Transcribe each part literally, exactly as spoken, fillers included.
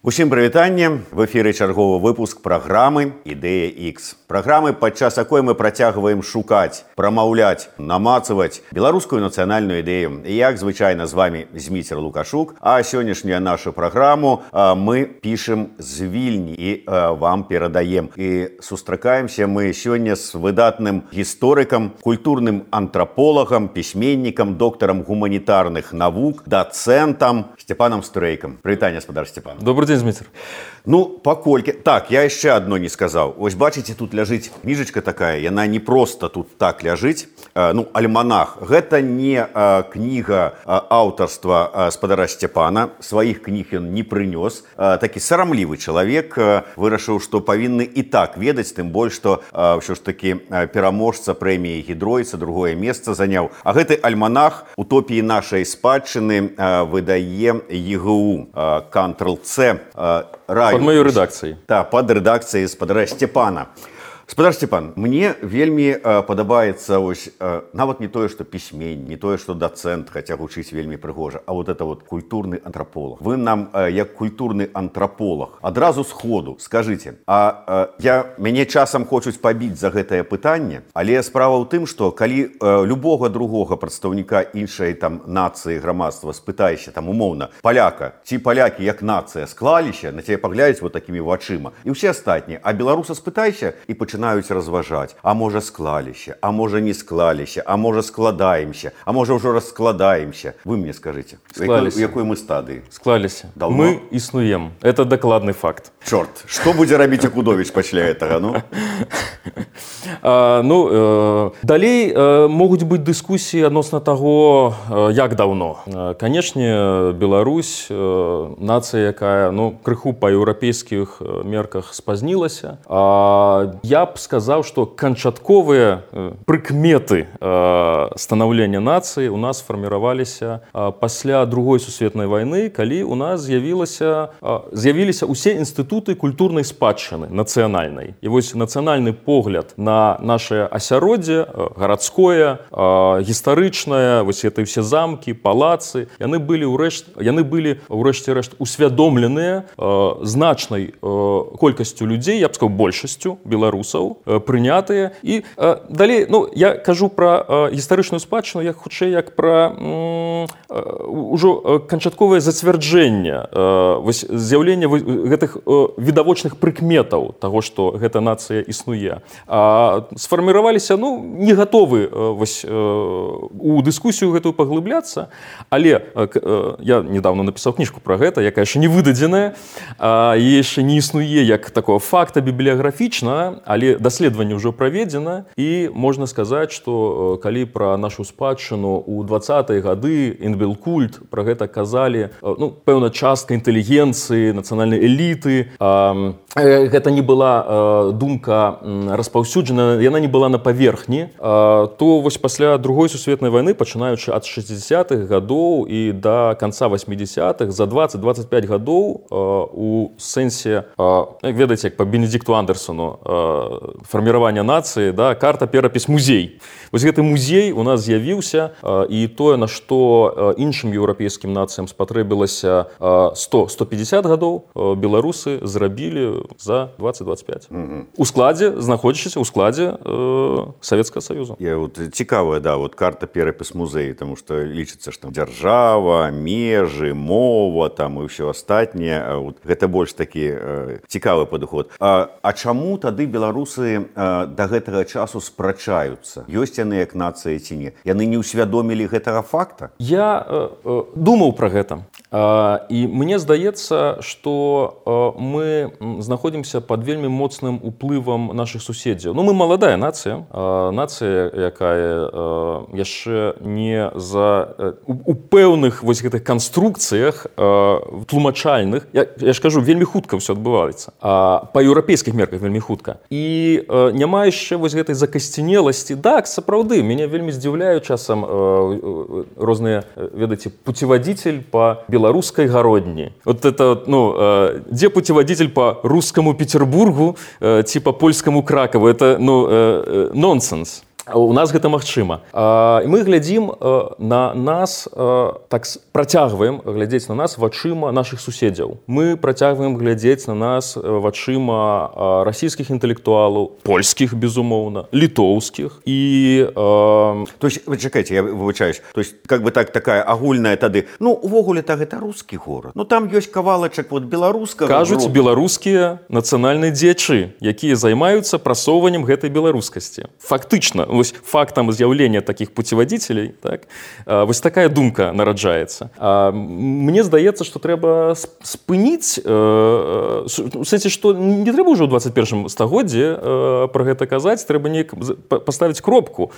Усім прывітанне, в эфіры чарговы выпуск праграмы «Ідэя Х». Праграмы, падчас якой мы працягваем шукаць, прамаўляць, намацаваць беларускую нацыянальную ідэю. І як звычайна з вами Зміцер Лукашук, а сённяшнюю нашу праграму мы пішем з Вільні і вам перадаем. І сустракаемся мы сёння з выдатным гісторыкам, культурным антраполагам, пісьменнікам, доктарам гуманітарных навук, дацэнтам Степаном Стрейкам. Прывітанне, гаспадар Степан. Добрый день, Зміцер. Ну, паколькі... Так, я яшчэ адно не сказаў. Вось бачыце, тут ляжыць кніжачка такая, яна не проста тут так ляжыць. Ну, альманах. Гэта не а, кніга а, аўтарства а, спадара Степана. Сваіх кніг ён не прынёс. А, такі сарамлівы чалавек а, вырашыў, што павінны і так ведаць, тым больш, што а, ўсё ж такі а, пераможца прэміі Гідройца другое месца заняў. А гэты альманах утопіі нашай спадчыны а, выдае ЕГУ а, Кантрл-Ц а, Под моей редакцией. Да, под редакцией спадара Степана. Спадар Степан, мне вельмі э, падабаецца ось, э, нават не тое, што пісьменнік, не тое, што дацэнт, хаця гучыць вельмі прыгожа, а вот это вот культурны антраполаг. Вы нам, э, як культурны антраполаг, адразу сходу скажыце, а э, я, мяне часам хочуць пабіць за гэтае пытанне, але справа ў тым, што калі э, любога другога прадстаўніка іншай там нацыі, грамадства спытаешся, там умоўна, паляка, ці палякі як нацыя склаліся, на цябе паглядзяць вот такімі вачыма, і ўсе астатнія, а беларуса спытайся і пачынаюць разважаць, а можа склаліся, а можа не склаліся, а можа складаемся, а можа ўжо раскладаемся. Вы мне скажыце, у якой мы стадыі? Склаліся. Мы існуем. Это дакладны факт. Чорт, што будзе рабіць Акудовіч пасля гэтага, ну? А, ну, э, далей э, могуць быць дыскусіі адносна таго, э, як даўно. Э, канечне, Беларусь, э, нацыя, якая, ну, крыху па еўрапейскіх мерках спазнілася. А, я б сказаў, што канчатковыя э, прыкметы э, станаўлення нацыі у нас фарміраваліся э, пасля другой сусветнай вайны, калі у нас з'явілася, э, з'явіліся ўсе інстытуты культурнай спадчыны нацыянальнай. І вось нацыянальны погляд на наше асяроддзе, гарадское, гістарычнае, вось это ўсе замкі, палацы, яны былі ўрэшт, яны былі ўрэшце-рэшт усвядомленыя значнай колькасцю людзей, я б сказаў, большасцю беларусаў, прынятыя. І далей, ну, я кажу пра гістарычную спадчыну, як хутчэй, як пра ўжо канчатковае зацвярджэнне, вось з'яўленне гэтых відавочных прыкметаў таго, што гэта нацыя існуе. А, сфарміраваліся, ну, не гатовы вось, у дыскусію гэтую паглыбляцца, але я недавно напісаў кніжку пра гэта, якая яшчэ не выдадзеная, і яшчэ не існуе як такого факта бібліяграфічна, але даследаванне ўжо праведзена, і можна сказаць, што калі пра нашу спадчыну ў дваццатыя гады інбелкульт пра гэта казалі, ну, пэўна частка інтэлігенцыі, нацыянальнай эліты, гэта не была думка распаўсюджана, яна не была на паверхні, то вось пасля другой сусветнай вайны, пачынаючы ад шэсцідзесятых гадоў і да канца васьмідзесятых, за дваццаць-дваццаць пяць гадоў у сэнсе, як ведаеце, як па Бенедикту Андерсону, фарміравання нацыі, да, карта, перапіс, музей. Вось гэты музей у нас з'явіўся, і тое, на што іншым еўрапейскім нацыям спатрэбілася сто - сто пятьдесят гадоў, беларусы зрабілі за дваццаць-дваццаць пяць. Mm-hmm. У складзе, знаходзячыся ў складзе э, Савецкага Саюза. Я вот цікавая, да, вот карта, перапіс, музей, тому што лічыцца, што дзяржава, межы, мова, там і ўсё астатняе. Вот, гэта больш такі э, цікавы падыход. А, а чаму тады беларусы э, да гэтага часу спрачаюцца? Ёсць яны як нацыя ці не? Яны не ўсвядомілі гэтага факта? Я э, э, думаў пра гэта. Э, і мне здаецца, што э, мы знаходзімся пад вельмі моцным уплывам нашых суседзяў. Ну, мы маладая нацыя, э, нацыя, якая э, яшчэ не за э, у, у пэўных вось гэтых канструкцыях э, тлумачальных. Я, я ж кажу, вельмі хутка ўсё адбываецца. А, па еўрапейскіх мерках вельмі хутка. І э, няма яшчэ вось гэтай закасцінеласці. Так, сапраўды, мяне вельмі здзіўляюць часам э, э, розныя, ведаеце, путеводитель па беларускай гародні. Вот это, ну, э, дзе путеводитель па русскому Петербургу, э, ці па польскаму Кракову? Это, ну, э, нонсенс. у нас гэта магчыма. І мы глядзім на нас, так працягваем глядзець на нас вачыма нашых суседзяў. Мы працягваем глядзець на нас вачыма расійскіх інтэлектуалаў, польскіх, безумоўна, літоўскіх і... Э... То есть, вы чакайце, я выбачаюсь, то есть, как бы так, такая агульная тады, ну, увогуле-то гэта рускі горад. Ну, там ёсць кавалачак вот беларускага. Кажуць беларускія нацыянальныя дзеячы, якія займаюцца прасоўваннем гэтай беларускасці. Фактычна, вось фактам з'яўлення такіх пуцеводителей, так, вось такая думка нараджаецца. Мне здаецца, што трэба спыніць, у сэнсе, што не трэба ўжо ў дваццаць першым стагоддзі пра гэта казаць, трэба неяк паставіць кропку.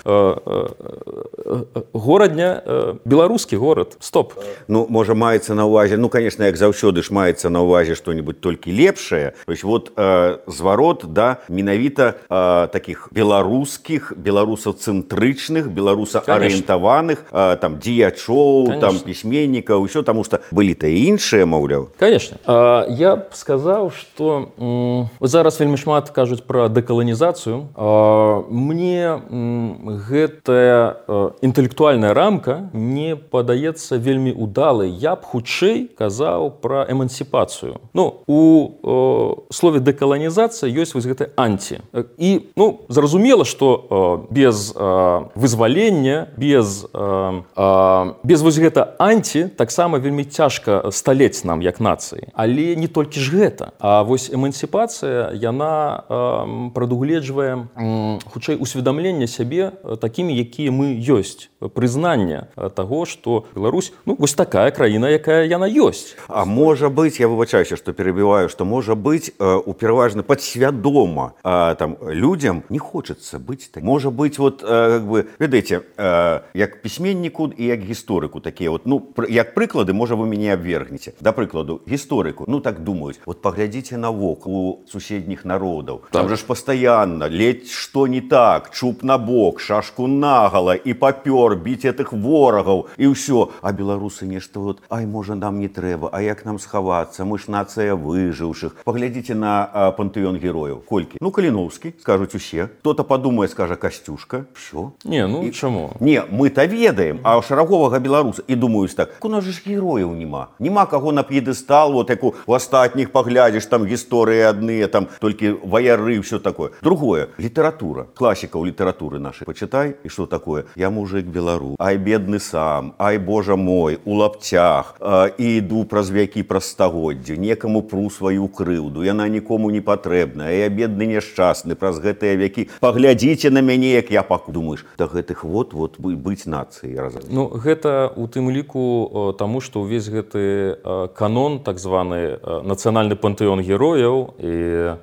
Горадня, беларускі горад, стоп. Ну, можа, маецца на ўвазе, ну, конечно, як заўсёды ж маецца на ўвазе што-нибудь толькі лепшае. То есть, вот э, зварот, да, менавіта э, такіх беларускіх, беларусацэнтрычных, беларусаарыентаваных э, там дзеячоў, там пісьменнікаў, усё, таму што былі-то і іншыя, маўляў. Конечно. А, я б сказаў, што м, зараз вельмі шмат кажуць пра дэкаланізацыю. А, мне м, гэтая а, інтэлектуальная рамка не падаецца вельмі удалай. Я б хутчэй казаў пра эмансіпацыю. Ну, у о, слове дэкаланізацыя ёсць вось гэта анці. І, ну, зразумела, што о, без о, вызвалення, без, о, о, без вось гэта анці таксама вельмі цяжка сталець нам як нацыі. Але не толькі ж гэта. А вось эмансіпацыя, яна о, прадугледжвае м, хутчэй усведамленне сябе такімі, якія мы ёсць. Прызнанне таго, што Беларусь, ну, вось такая краіна, якая яна ёсць. А можа быць, я выбачаюся, што перабіваю, што можа быць э, у пераважна падсвядома э, там людзям не хочацца быць так. Можа быць, вот, э, как бы, ведаеце, э, як пісьменніку і як гісторыку такія, вот, ну, пр- як прыклады, можа, вы мяне абвергнеце. Да прыкладу, гісторыку, ну, так думаюць, вот паглядзіце навок у суседніх народаў. Так. Там же ж пастаянна, ледь што не так, чуб на бок, шашку нагала і папёр біць этих ворагаў і ўсё. А беларусы нешта вот, ай, можа, нам не трэба, а як нам схавацца, мы ж нацыя выжыўшых. Паглядзіце на а, пантэон герояў. Колькі? Ну, Каліноўскі, скажуць усе. Хто-то падумае, скажа Касцюшка. Всё. Не, ну, і... чаму? Не, мы-то ведаем, а шараговага беларуса. І думаюць так, у нас же ж герояў нема. Нема каго на п'едэстал, вот як у астатніх паглядзіш, там гісторыі адныя, там толькі ваяры, всё такое. Другое, літаратура. Класікаў літаратуры нашай. Почитай, і што такое? Я мужик беларус. Ай, бедны сам. Ай, божа мой, у лапцях. А, і іду праз вякі, праз стагоддзі. Некаму пру сваю крыўду. Яна нікому не патрэбна. А я бедны няшчасны праз гэтыя вякі. Паглядзіце на мяне, як я паку. Думаеш, да гэтых вот-вот быць нацыяй разам. Ну, гэта у тым ліку таму, што ўвесь гэты канон, так званы нацыянальны пантэон герояў і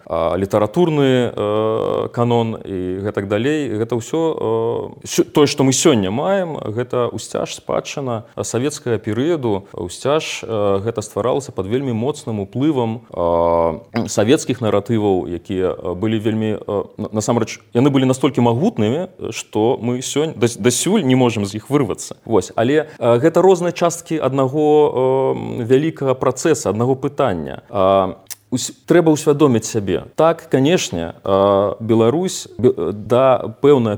а, літаратурны а, канон і гэтак далей, гэта ўсё тое, што мы сёння маем, гэта ўсцяж спадчына савецкага перыяду. Ўсцяж гэта стваралася пад вельмі моцным уплывам савецкіх наратываў, якія былі вельмі, насамрэч, яны былі настолькі магутнымі, што мы сёння дасюль не можам з іх вырвацца. Вось, але гэта розныя часткі аднаго вялікага працэса, аднаго пытання. Трэба ўсвядоміць сябе. Так, канешне, Беларусь да пэўнага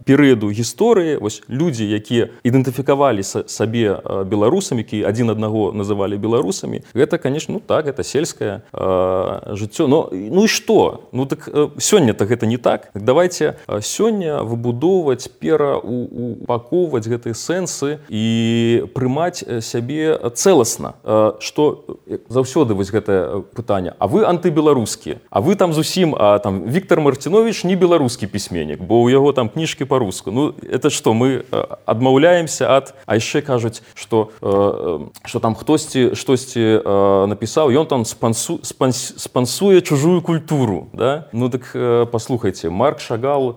перыяду гісторыі, вось людзі, якія ідэнтыфікавалі сабе беларусамі, якія адзін аднаго называлі беларусамі, гэта, канешне, ну так, гэта сельскае жыццё. Но, ну і што? Ну так сёння-то гэта не так. Так давайте сёння выбудоўваць, пераупакоўваць гэтыя сэнсы і прымаць сябе цэласна. Што заўсёды вось гэтае пытанне. А вы антыбеларускія. А вы там зусім, а там Віктор Мартинович не беларускі пісьменнік, бо ў яго там кніжкі па-руску. Ну, это што, мы адмаўляемся ад... А яшчэ кажуць, што, што там хтосьці штосьці напісаў, ён там спансу, спанс, спансуе чужую культуру. Да? Ну, так паслухайце, Марк Шагал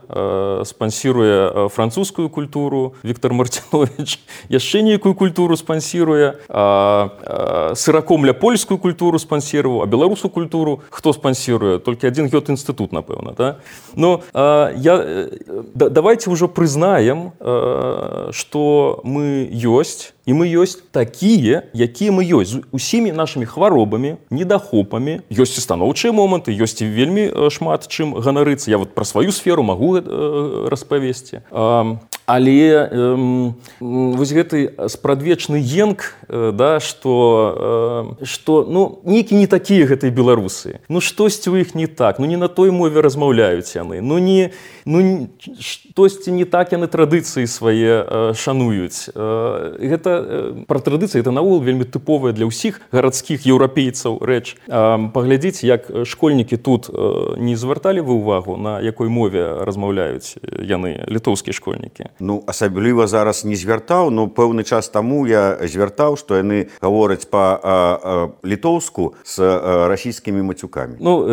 спансіруе французскую культуру, Віктор Мартинович яшчэ нейкую культуру спансіруе, Сыракомля польскую культуру спансіраваў, а беларус беларускую культуру хто спансіруе, толькі адзін гёт-інстытут, напэўна, да? Но э, я, э, да, давайте ўжо прызнаем, э, што мы ёсць, і мы ёсць такія, якія мы ёсць, з усімі нашымі хваробамі, недахопамі, ёсць і станоўчыя моманты, ёсць і вельмі шмат чым ганарыцца. Я вот пра сваю сферу магу э, распавесці. Э, але э, вось гэты спрадвечны енк, э, да, што, э, што ну, нейкі не такія гэтыя беларусы. Ну штосьці ў іх не так, ну не на той мове размаўляюць яны, ну не, ну штосьці не так яны традыцыі свае э, шануюць. Э, гэта пра традыцыі, гэта наогул вельмі тыповая для ўсіх гарадскіх еўрапейцаў рэч. Паглядзіце, як школьнікі тут не звярталі вы ўвагу, на якой мове размаўляюць яны, літоўскія школьнікі? Ну, асабліва зараз не звяртаў, но пэўны час таму я звяртаў, што яны гавораць па-літоўску з расійскімі мацюкамі. Ну,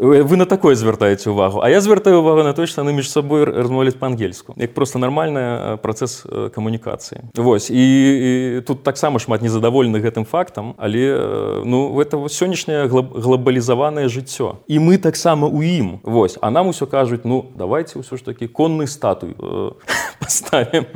вы на такое звяртаеце ўвагу, а я звяртаю ўвагу на тое, што яны між сабой размаўляюць па-ангельску. Як проста нармальны працэс камунікацыі. Вось, і і тут таксама шмат незадаволеных гэтым фактам, але ну, гэта сённяшняе глобалізаванае жыццё. І мы таксама ў ім. Вось. А нам усё кажуць, ну, давайте ўсё ж такі конны статуй э, паставім.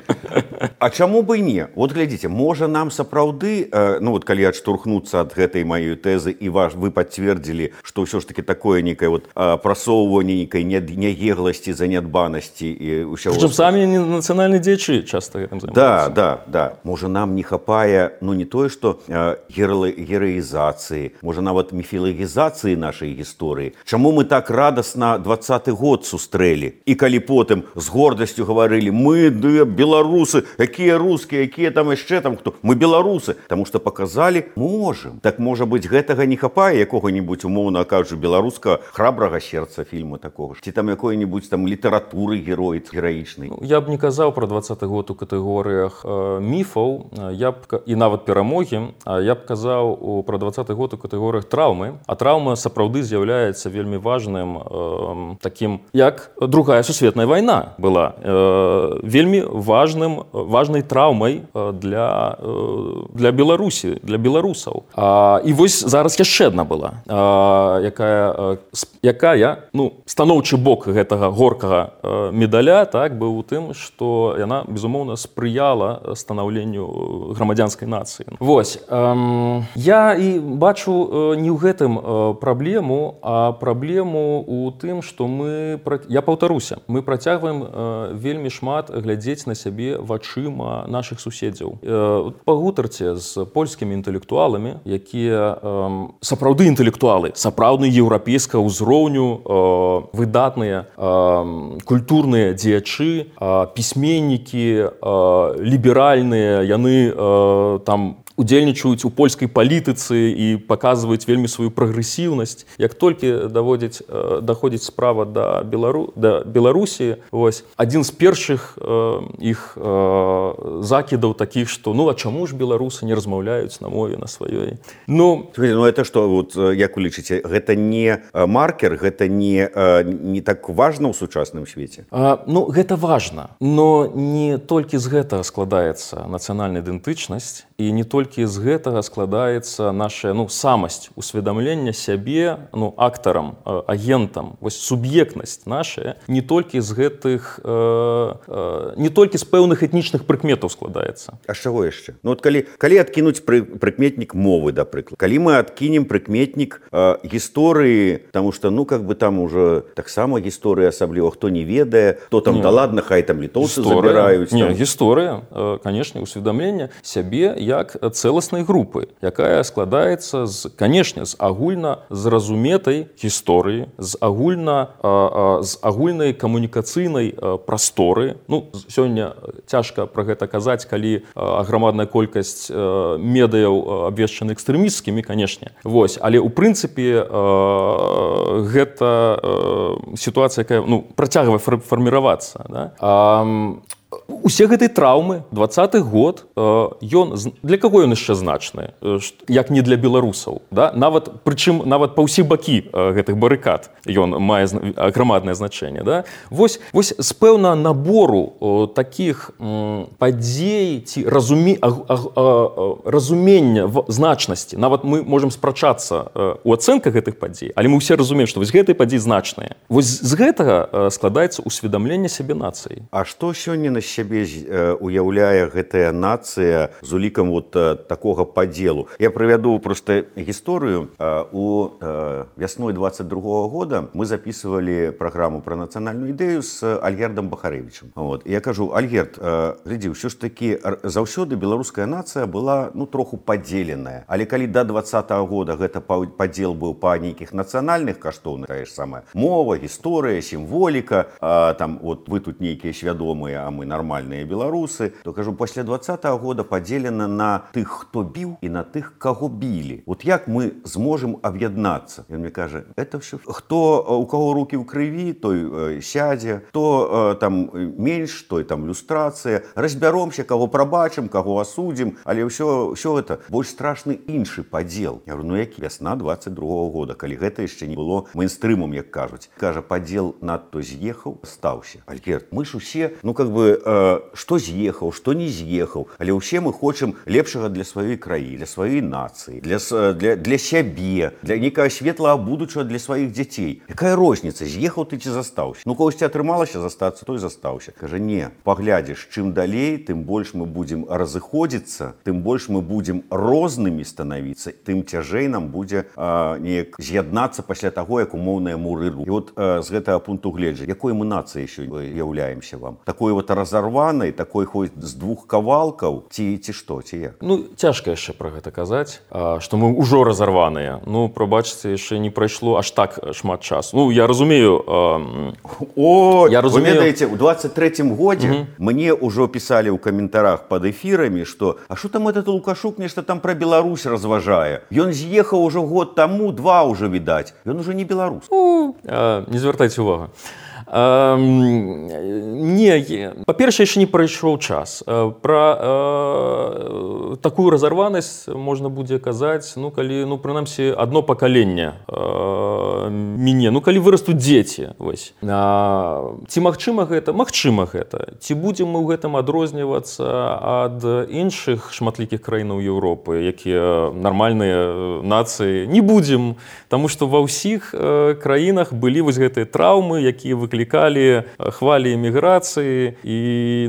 А чаму бы і не? Вот глядзіце, можа нам сапраўды, э, ну вот калі адштурхнуцца ад гэтай маёй тэзы і ваш, вы пацвердзілі, што ўсё ж такі такое нейкае вот, э, прасоўванне нейкай няегласці, занядбанасці і ўсяго. Прычым самі нацыянальныя дзеячы часта гэтым займаюцца. Да, да, да. Можа нам не хапае, ну не тое, што э, гераізацыі, можа нават міфілагізацыі нашай гісторыі. Чаму мы так радасна двадцаты год сустрэлі? І калі потым з гордасцю гаварылі, мы да, беларусы, якія рускія, якія там яшчэ там хто? Мы беларусы, таму што паказалі, можам. Так можа быць, гэтага не хапае якога-небудзь, умоўна кажучы, беларускага храбрага сердца фільма такога ж. Ці там якой-небудзь там літаратуры герой гераічнай. Ну, я б не казаў пра двадцаты год у катэгорыях э, міфаў, я б, і нават перамогі, я б казаў пра двадцаты год у катэгорыях траўмы, а траўма сапраўды з'яўляецца вельмі важным э, такім, як другая сусветная вайна была, э, вельмі важным, важнай траўмай для, э, для Беларусі, для беларусаў. А, і вось зараз яшчэ адна была, а, якая, якая ну, станоўчы бок гэтага горкага медаля так, быў у тым, што яна, безумоўна, спрыяла станаўленню грамадзянскай нацыі. Вось. Эм, я і бачу не ў гэтым праблему, а праблему ў тым, што мы... Я паўтаруся. Мы працягваем э, вельмі шмат глядзець на сябе вачыма нашых суседзяў. Э, пагутарце з польскімі інтэлектуаламі, якія э, сапраўды інтэлектуалы, сапраўдны еўрапейскага ўзроўню, э, выдатныя э, культурныя дзеячы, э, пісьменнікі, э, ліберальныя, яны э, там удзельнічаюць у польскай палітыцы і паказваюць вельмі сваю прагрэсіўнасць. Як толькі даводзіць, даходзіць справа да, Белару, да Беларусі, вось, адзін з першых э, іх э, закідаў такіх, што ну а чаму ж беларусы не размаўляюць на мове на сваёй? Ну, ну это што, вот, як вы лічыце, гэта не маркер, гэта не, не так важна ў сучасным свеце? А, ну, гэта важна, но не толькі з гэтага складаецца нацыянальная ідэнтычнасць, і не толькі з гэтага складаецца наша ну, самасць усведамлення сябе ну, актарам, агентам. Вось суб'ектнасць наша не толькі з гэтых, э, э, не толькі з пэўных этнічных прыкметаў складаецца. А з чаго яшчэ? Ну, от калі, калі адкінуць пры, прыкметнік мовы, да прыклад, калі мы адкінем прыкметнік э, гісторыі, таму што, ну, как бы там уже таксама гісторыя асабліва, хто не ведае, хто там, не. Да ладно, хай там літоўцы забіраюць. Не, гісторыя, э, канешне, усведамлення сябе як цэласнай групы, якая складаецца з, канешне, з агульна зразуметай гісторыі, з агульна а, а, з агульнай камунікацыйнай а, прасторы. Ну, сёння цяжка пра гэта казаць, калі а, аграмадная колькасць а, медыяў абвешчаны экстрэмісцкімі, канешне. Вось, але ў прынцыпе а, гэта а, сітуацыя, якая ну, працягвае фарміравацца. Да? А, усе гэтай траўмы двадцаты год ён для каго ён яшчэ значны, як не для беларусаў, да? Нават прычым нават па ўсе бакі гэтых барыкад ён мае грамаднае значэнне, да? Вось вось з пэўна набору такіх падзей ці разуме разумення значнасці, нават мы можам спрачацца у ацэнках гэтых падзей, але мы ўсе разумеем, што вось гэтыя падзеі значныя. Вось з гэтага складаецца усведамленне сябе нацыі. А што сёння на сябе уяўляе гэтая нацыя з улікам вот такога падзелу? Я прывяду проста гісторыю. У вясной двадцать другого года мы записывали праграму пра нацыянальную ідэю з Альгердам Бахарэвічам. Вот. Я кажу: Альгерд, глядзі, ўсё ж такі заўсёды беларуская нацыя была ну троху падзеленая. Але калі да двадцатого года гэта падзел быў па нейкіх нацыянальных каштоўнах, тая ж самая мова, гісторыя, сімволіка, а, там вот вы тут нейкія свядомыя, а мы нормальныя беларусы, то кажу, пасля двадцатого года падзелена на тых, хто біў, і на тых, каго білі. Вот як мы зможам аб'яднацца? Ён мне кажа: это все, хто у каго рукі ў крыві, той э, сядзе, хто э, там менш, той там люстрацыя, разбяромся, каго прабачым, каго асудзім, але ўсё ўсё гэта больш страшны іншы падзел. Я говорю: ну які? Вясна двадцать другого года, калі гэта яшчэ не было мейнстрымом, як кажуць. Кажа: падзел надто з'ехаў, стаўся. Альгерд, мы ж усе, ну как бы э, што з'ехаў, што не з'ехаў, але ўсе мы хочам лепшага для сваёй краі, для сваёй нацыі, для, для, для сябе, для нейкага светлага будучага для сваіх дзяцей. Якая розніца, з'ехаў ты ці застаўся? Ну когосьці атрымалася застацца, той застаўся. Кажа: не, паглядзіш, чым далей, тым больш мы будзем разыходзіцца, тым больш мы будзем рознымі станавіцца, тым цяжэй нам будзе э, неяк з'яднацца пасля таго, як умоўныя муры ру. І от э, з гэтага пункту гледжання, якой мы нацыяй сёння являемся вам? Такой вот разорванай, такой хоть з двух кавалкаў, ці ці што, ці як? Ну, цяжка яшчэ пра гэта казаць, што мы ўжо разарваныя. Ну, прабачце, яшчэ не прайшло аж так шмат часу. Ну, я разумею... Э, О, я разумею... Вы ведаеце, у двадцать третьем годзе угу. Мне ўжо пісалі ў каментарах пад эфірамі, што а што там этот Лукашук нешта там пра Беларусь разважае? Ён з'ехаў ужо год таму, два ўжо відаць. Ён ужо не беларус. Ну, э, не звяртайце увагу. Э, не, па-першае, яшчэ не прайшоў час. Пра э, такую разарванасць можна будзе казаць, ну, калі, ну, прынамсі, адно пакаленне э, міне, ну, калі вырастуць дзеці. Вось. А, ці магчыма гэта? Магчыма гэта. Ці будзем мы ў гэтым адрознівацца ад іншых шматлікіх краінаў Еўропы, якія нармальныя нацыі? Не будзем, таму што ва ўсіх э, краінах былі вось гэтыя траўмы, якія выклікалі хвалі эміграцыі, і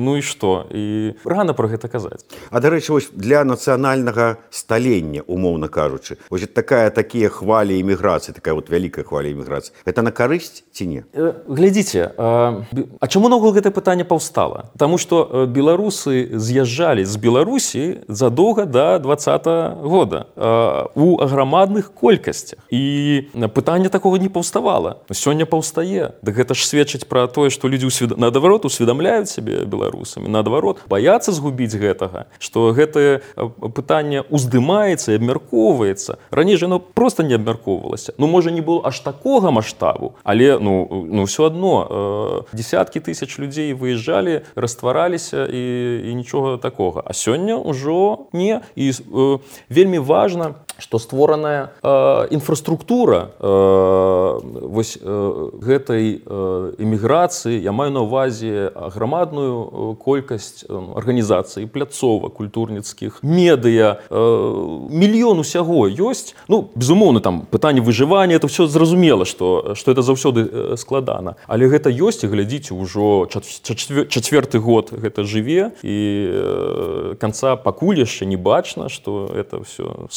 ну і што? І рана пра гэта казаць. А, дарэчы, вось для нацыянальнага сталення, умоўна кажучы, вось такая, такія хвалі эміграцыі, такая вот вялікая хваля эміграцыі, гэта на карысць ці не? Глядзіце, а, а чаму наогул гэтае пытанне паўстала? Таму што беларусы з'язджалі з Беларусі задоўга да двадцатого года а, у аграмадных колькасцях. І пытанне такога не паўставала. Сёння паўстае. Да гэта ж сведчыць пра тое, што людзі усвед... наадварот усведамляюць сябе беларусамі, наадварот баяцца згубіць гэтага, што гэтае пытанне уздымаецца і абмяркоўваецца. Раней жа яно проста не абмяркоўвалася. Ну, можа, не было аж такога маштабу, але ну, ну ўсё адно э, десяткі тысяч людзей выязджалі, раствараліся і, і нічога такога. А сёння ўжо не. І э, вельмі важна, што створаная э, інфраструктура э, вось э, гэтай э, эміграцыі, я маю на ўвазе аграмадную колькасць э, арганізацый, пляцовак культурніцкіх, медыа, э, мільён усяго ёсць. Ну, безумоўна, там пытанне выжывання, это ўсё зразумела, што, што это заўсёды э, складана. Але гэта ёсць, і глядзіце, ўжо чацвёрты год гэта жыве, і э, канца пакуль яшчэ не бачна, што это ўсё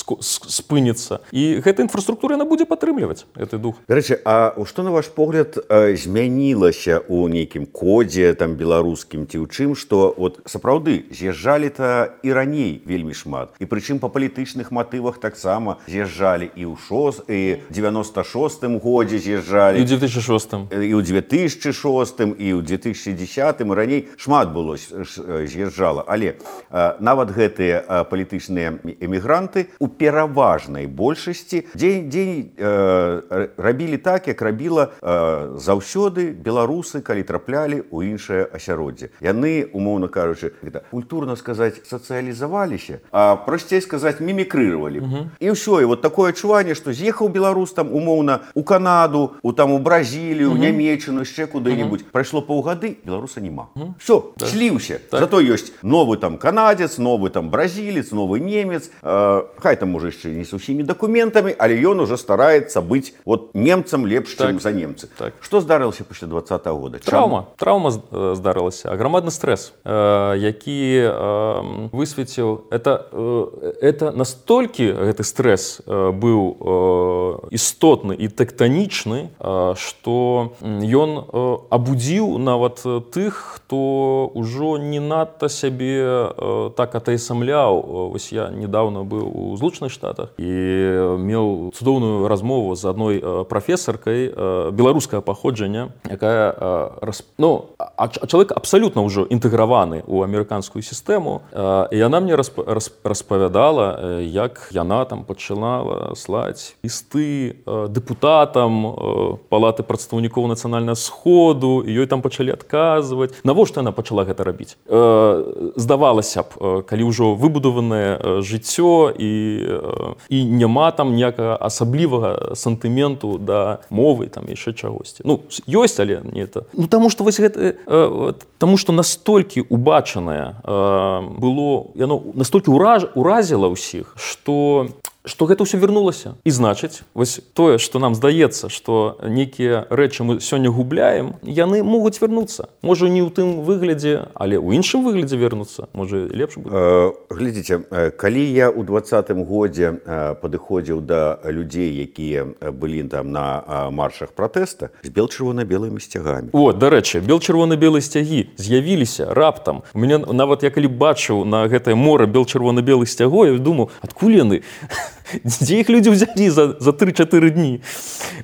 спыніцца. І гэта інфраструктура, яна будзе падтрымліваць гэты дух. Дарэчы, а што, на ваш погляд, змянілася ў нейкім кодзе там беларускім ці ў чым, што от сапраўды з'язджалі-то і раней вельмі шмат. І прычым па палітычных матывах таксама з'язджалі і ў шос, і девяносто шостым годзе з'язджалі. І ў две тысячи шостым. І ў две тысячи шостым, і ў две тысячи десятым, і раней шмат было з'язджала. Але нават гэтыя палітычныя эмігранты у пераводе пераважнай большасці дзень дзень э, рабілі так, як рабіла э, заўсёды беларусы, калі траплялі ў іншае асяроддзе. Яны, умоўна кажучы, культурна сказаць, сацыялізаваліся, а прасцей сказаць, мімікрыравалі. Угу. І ўсё, і вот такое адчуванне, што з'ехаў беларус там умоўна у Канаду, у там у Бразілію, угу. Нямецчыну, яшчэ куды-нибудь. Угу. Прайшло паўгады, беларуса няма. Угу. Все, да. Сліўся. Так. Зато ёсць новы там канадзец, новы там бразілец, новы немец. Э, хай там можа яшчэ не з усімі дакументамі, але ён уже стараецца быць вот немцам лепш, так. Чым за немцы. Так. Што здарылася пасля двадцатага года? Траўма. Траўма здарылася. Аграмадны стрэс, э, які э, высветіў. Это, э, это настолькі гэты стрэс э, быў э, істотны і тэктанічны, э, што ён э, абудзіў нават тых, хто ўжо не надта сябе э, так атаясамляў. Вось я недавно быў у Злучаных Штатах і меў цудоўную размову з адной э, прафесаркай э, беларускага паходжання, якая э, рас... ну, а, а чалавек абсалютна ўжо інтэграваны ў амерыканскую сістэму, э, і яна мне расп... расп... распавядала, э, як яна там пачала слаць лісты э, дэпутатам э, палаты прадстаўнікоў нацыянальнага сходу, і ёй там пачалі адказваць. Навошта яна пачала гэта рабіць? Э, здавалася б, э, калі ўжо выбудаванае э, жыццё і, э, і няма там ніякага асаблівага сантыменту да мовы, там яшчэ чагосьці. Ну, ёсць, але не это. Ну, таму што вось гэта, э, таму што настолькі убачанае э, было, яно настолькі ураж, уразіла ўсіх, што што гэта ўсё вярнулася. І значыць, вось тое, што нам здаецца, што нейкія рэчы мы сёння губляем, яны могуць вярнуцца. Можа, не ў тым выглядзе, але ў іншым выглядзе вернуцца. Можа, лепш будзе. Э, глядзіце, калі я ў двадцатым годзе падыходзіў да людзей, якія былі там на маршах пратэста, з бел-чырвона-белымі сцягамі. О, дарэчы, бел-чырвона-белыя сцягі з'явіліся раптам. У мяне нават я калі бачыў на гэтае мора бел-чырвона-белых сцягоў, я думаў, адкуль яны? Дзе іх людзі ўзялі за, за тры-чатыры дні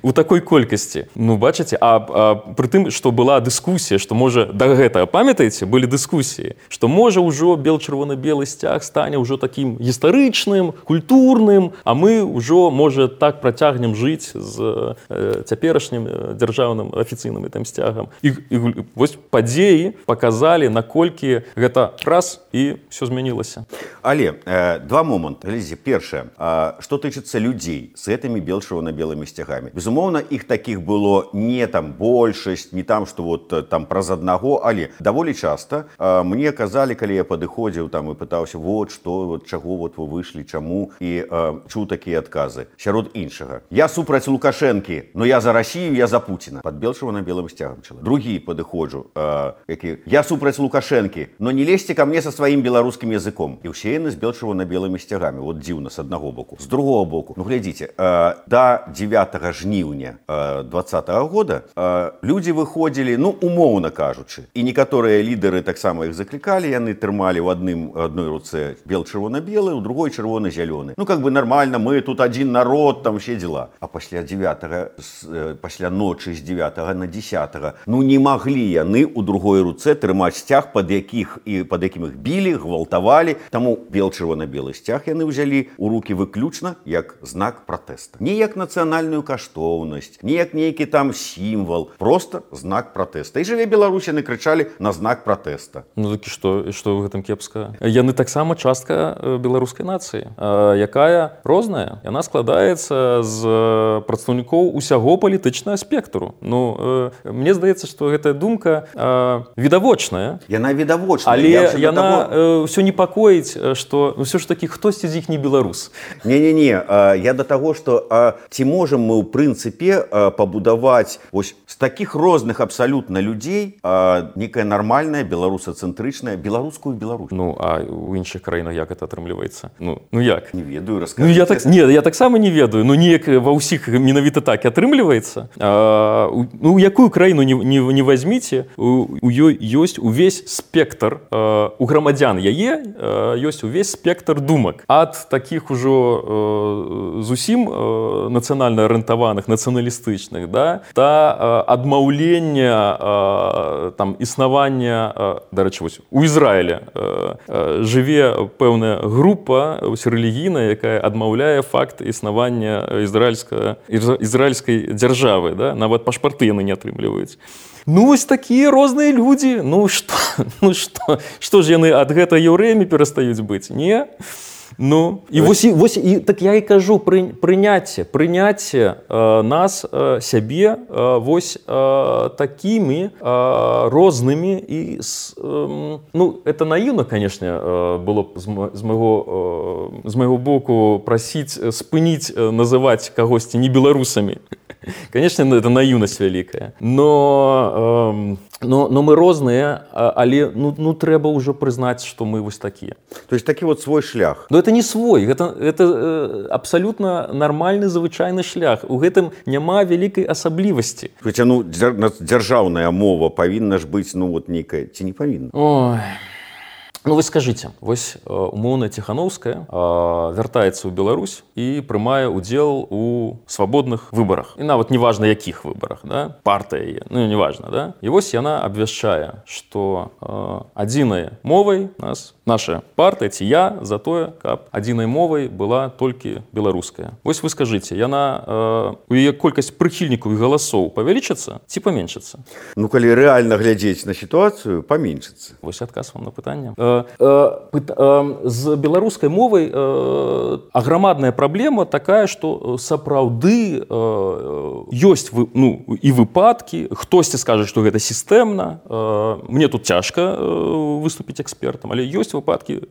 у такой колькасці? Ну, бачыце, а, а пры тым, што была дыскусія, што можа, да гэтага, памятаеце, былі дыскусіі, што можа ўжо бел-чырвона-белы сцяг стане ўжо такім гістарычным, культурным, а мы ўжо, можа, так працягнем жыць з э, цяперашнім дзяржаўным афіцыйным гэтым сцягам. І, і вось падзеі паказалі, наколькі гэта раз і ўсё змянілася. Але э, два моманты. Глядзіце, першае, что тычыцца людзей с этими бел-чырвона-белымі сцягамі. Безумоўна, іх такіх было не там большасць, не там, што вот там праз аднаго, але даволі часта а, мне казалі, калі я падыходзіў там і пытаўся, вот што, вот чаго вот вы выйшлі, чаму, і а, чуў такія адказы. Сярод іншага. Я супраць Лукашэнкі, но я за Расію, я за Пуціна. Пад бел-чырвона-белым сцягам чалавек. Другі падыходжу, а, які, я супраць Лукашэнкі, но не лезьце ка мне са сваім беларускім языком. І ўсе яны з бел-чырвона-белымі сцягамі. Вот дзіўна, з аднаго боку. З другого боку, ну глядзіце, э, да дзевятага жніўня э, двадцатага года э, людзі выходзілі, ну, умоўна кажучы, і некаторыя лідары таксама іх заклікалі, яны трымалі ў адным адной руцэ бел-чырвона-белы, у другой чырвона-зялёны. Ну, как бы нормально, мы тут адзін народ, там все дела. А пасля дзевятага, э, пасля ночы з дзевятага на дзесятага, ну, не маглі яны ў другой руцэ трымаць сцяг, пад якіх і пад якім іх білі, гвалтавалі. Таму бел-чырвона-белы сцяг яны ўзялі ў рукі выключна як знак пратэста. Не як нацыянальную каштоўнасць, не як нейкі там сімвал, просто знак пратэста. І жыве Беларусь, яны крычалі на знак пратэста. Ну так і што, і што ў гэтым кепска? Яны таксама частка беларускай нацыі, якая розная. Яна складаецца з прадстаўнікоў усяго палітычнага спектру. Ну, мне здаецца, што гэтая думка відавочная. Яна відавочная. Але яна того... ўсё непакоіць, што ўсё ж такі хтосьці з іх не беларус. Не-не-не, я да таго, што ці можам мы ў прынцыпе пабудаваць ось з такіх розных абсалютна людзей некая нармальная беларусацэнтрычная беларускую Беларусь. Ну, а ў іншых краінах як это атрымліваецца? Ну, ну як? Не ведаю, раскажыце. Ну, я так, не, я таксама не ведаю, ну неяк ва ўсіх менавіта так і атрымліваецца. А, ну, якую краіну не, не, не возьміце, у, у ёй ёсць увесь спектр, а, у грамадзян яе ёсць увесь спектр думак. Ад такіх ужо зусім нацыянальна арыентаваных, нацыяналістычных, да, та адмаўлення там існавання, дарэчы, вось у Ізраілі жыве пэўная група рэлігійная, якая адмаўляе факт існавання ізраільскай дзяржавы, да, нават пашпарты яны не атрымліваюць. Ну, вось такія розныя людзі. Ну, што, ну, што, што ж яны ад гэта яўрэямі перастаюць быць? Не? Ну, і вось, і, вось і, так я і кажу, пры, прыняцце, прыняцце э, нас, э, сябе, э, вось э, такімі э, рознымі і, э, ну, это наіўна, канешне, э, было б з, з, майго, э, з майго боку прасіць, спыніць, э, называць кагосьці не беларусамі. Конечно, это наивность великая, но, э, но, но мы розныя, але ну, ну трэба ўжо прызнаць, што мы вось такія. То есть такі вот свой шлях. Но это не свой, это, это э, абсолютно нормальны звычайны шлях. У гэтым няма вялікай асаблівасці. Хаця ну дзяржаўная мова павінна ж быць ну вот нейкая, ці не павінна? Ой. Ну, вы скажите, вось умоўна Ціхановская вяртаецца ў Беларусь і прымае ўдзел у свабодных выбарах. І нават неважна, якіх выбарах, да? Партыя яе, ну, неважна, да? І вось яна абвяшчае, што адзінай мовай нас, наша партыя, ці я, за тое, каб адзінай мовай была толькі беларуская. Вось вы скажыце, яна, у яе колькасць прыхільнікаў і галасоў павялічыцца ці паменшыцца? Ну, калі рэальна глядзець на сітуацыю, паменшыцца. Вось адказ вам на пытанне. З беларускай мовай аграмадная праблема такая, што сапраўды ёсць ну, і выпадкі, хтосьці скажа, што гэта сістэмна. Мне тут цяжка выступіць экспертам, але ёсць выпадкі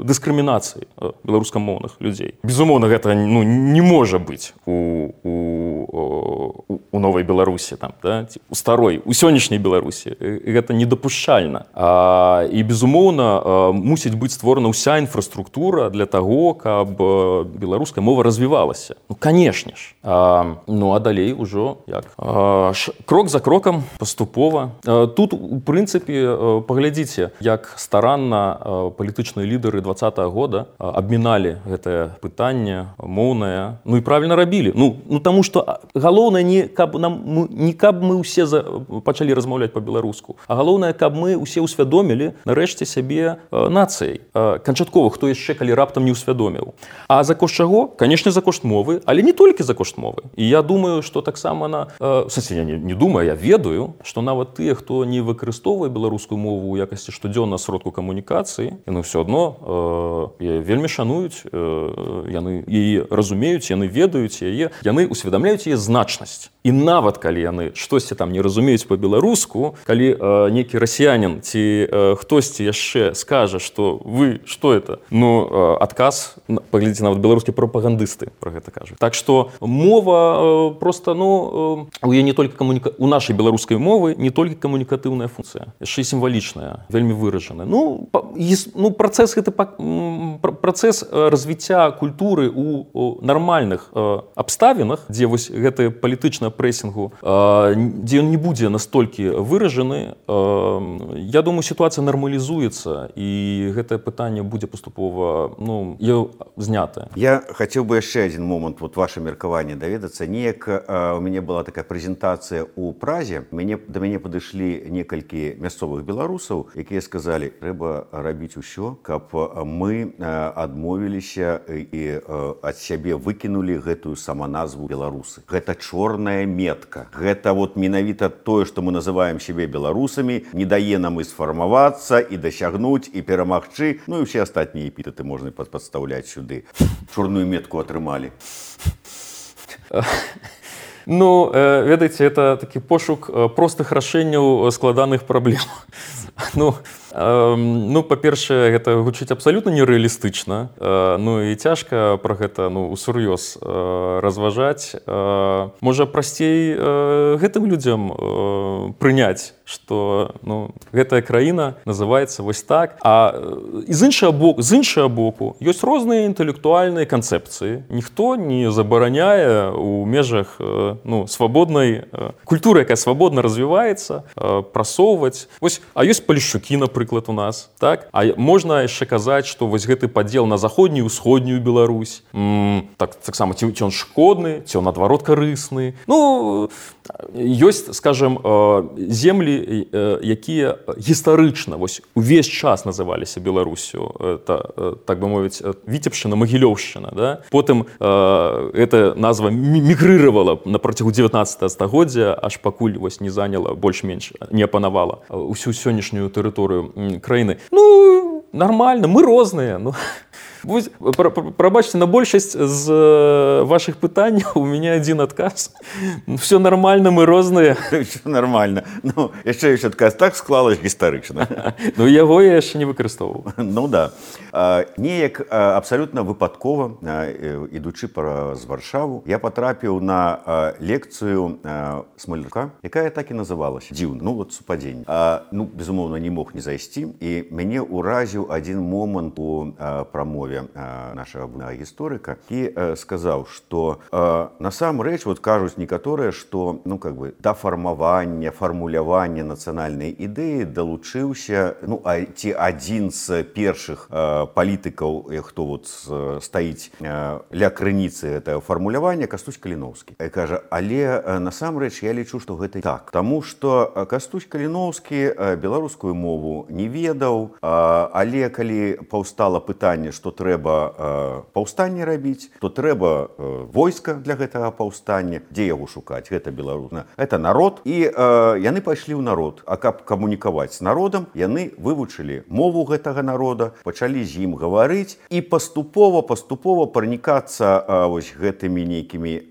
дыскрымінацыі беларускамоўных людзей. Безумоўна, гэта ну, не можа быць у, у, у новай Беларусі, там, да? У старой, у сённяшняй Беларусі. Гэта недапушчальна. А, і безумоўна, мусіць быць створана ўся інфраструктура для таго, каб беларуская мова развівалася. Ну, канешне ж. А, ну, а далей ужо як? А, ш, крок за крокам, паступова. А, тут, у прынцыпе, паглядзіце, як старанна палітычныя лідары двадцатага года абміналі гэтае пытанне моўнае. Ну, і правільна рабілі. Ну, ну таму што галоўнае не каб нам не каб мы ўсе за, пачалі размаўляць па-беларуску, а галоўнае, каб мы ўсе ўсвядомілі, нарэшце сябе нацыяй. Канчаткова, хто яшчэ калі раптам не ўсвядоміў. А за кошт чаго? Канешне, за кошт мовы, але не толькі за кошт мовы. І я думаю, што таксама на... В сэнсе, я не, не думаю, я ведаю, што нават тыя, хто не выкарыстоўвае беларускую мову ў якасці штодзённа сродку камунікацыі, яны ўсё адно э, вельмі шануюць, э, яны яе разумеюць, яны ведаюць яе, яны усведамляюць яе значнасць. І нават калі яны штосьці там не разумеюць па-беларуску, калі э, нейкі расіянін ці э, хтосьці яшчэ скажа, што вы, што это? Ну, э, адказ, паглядзіце, нават беларускія прапагандысты пра гэта кажуць. Так што мова э, проста, ну, э, у яе не толькі камуніка... у нашай беларускай мовы не толькі камунікатыўная функцыя, яшчэ і сімвалічная, вельмі выражаная. Ну, па, ну працэс гэты працэс развіцця культуры у, у нармальных э, абставінах, дзе вось гэтая палітычная прэсінгу, дзе ён не будзе настолькі выражаны, я думаю, сітуацыя нармалізуецца і гэтае пытанне будзе паступова ну, знятае. Я хацеў бы яшчэ адзін момант вот ваше меркаванне даведацца. Неяк у мяне была такая прэзентацыя ў Празе. Мяне, да мяне падышлі некалькі мясцовых беларусаў, якія сказалі, трэба рабіць усё, каб мы адмовіліся і ад сябе выкінулі гэтую саманазву беларусы. Гэта чорная метка. Гэта вот менавіта тое, што мы называем сябе беларусамі, не дае нам і сфармавацца, і дасягнуць, і перамагчы. Ну і ўсе астатнія эпітэты можна падстаўляць сюды. Чорную метку атрымалі. Ну, ведаеце, это такі пошук простых рашэнняў складаных праблем. Ну, ну па-першае, гэта гучыць абсалютна нерэалістычна. Ну і цяжка пра гэта ну, усур'ёз разважаць. Можа, прасцей гэтым людзям прыняць, што ну, гэтая краіна называецца вось так. А з іншага боку, з іншага боку ёсць розныя інтэлектуальныя канцэпцыі. Ніхто не забараняе у межах ну, свабоднай культуры, якая свабодна развіваецца, прасоўваць. Вось, а ёсць Палішчукі, напрыклад, напрыклад, у нас, так? А можна яшчэ казаць, што вось гэты падзел на заходнюю, усходнюю Беларусь, м, так, таксама, ці, ці он шкодны, ці он, наадварот, карысны. Ну, ёсць, скажем, землі, якія гістарычна, вось, увесь час называліся Беларусю, это, так бы мовіць, Віцебшчына, Магілёўшчына, да? Потым эта назва мігрыравала на працягу дзевятнаццатага стагоддзя, аж пакуль вось не заняла, больш-менш не апанавала ўсю сённяшнюю тэрыторыю краіны. Ну, нормально, мы розныя. Ну, прабачце, на большасць з вашых пытанняў у меня один адказ. Все нормально, мы розныя. Все нормально. Ну, яшчэ ёсць адказ, так склалась гістарычна. Ну, яго я яшчэ не выкарыстоўваў. Ну, да. Неяк абсалютна выпадкова, ідучы праз Варшаву, я патрапіў на лекцыю Смолюка, якая так і называлася. Дзіўна, ну, вот супадзенне. Ну, безумоўна, не мог не зайсці, і мяне ўразіў адзін момант у прамове нашага гісторыка і сказаў, што насамрэч, вот кажуць некаторыя, што, ну, как бы, да фармавання, фармулявання нацыянальнай ідэі далучыўся, ну, а ці адзін з першых палітыкаў, хто вот стаіць ля крыніцы гэтага фармулявання, Кастусь Каліноўскі. І кажа, але насамрэч я лічу, што гэта так. Таму што Кастусь Каліноўскі беларускую мову не ведаў, але калі паўстала пытанне, што трэба паўстанне рабіць, то трэба войска для гэтага паўстання. Дзе яго шукаць? Гэта беларус. Это народ. І яны пайшлі ў народ. А каб камунікаваць з народам, яны вывучылі мову гэтага народа, пачалі з ім гаварыць і паступова, паступова пранікацца вось гэтымі нейкімі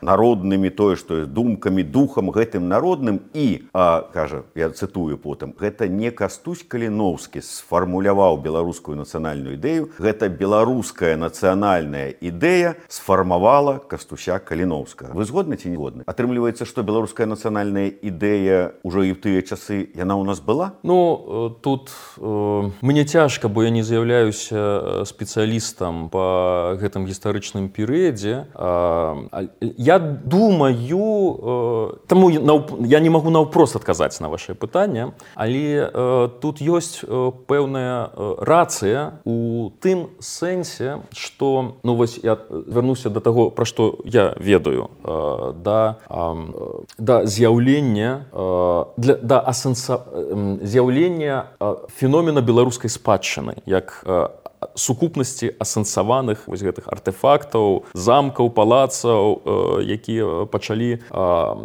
народнымі, тое, што думкамі, духам гэтым народным. І, кажа, я цытую потым, гэта не Кастусь Каліноўскі сфармуляваў беларускую нацыянальную ідэю, гэта беларуская нацыянальная ідэя сфармавала Кастуся Каліноўскага. Вы згодны ці не згодны? Атрымліваецца, што беларуская нацыянальная ідэя ўжо і ў тыя часы, яна ў нас была? Ну, тут э, мне цяжка, бо я не з'яўляюся спецыялістам па гэтым гістарычным перыядзе. Э, я думаю, э, таму я не магу наўпрост адказаць на ваше пытанне, але э, тут ёсць э, пэўная э, рацыя у тым сэнсе, што, ну, вось я вярнуся да таго, пра што я ведаю, э, да, э, да з'яўлення э, для, да асэнса, э, з'яўлення э, феномена беларускай спадчыны, як э, сукупнасці асэнсаваных вось гэтых артэфактаў, замкаў, палацаў, э, якія пачалі э,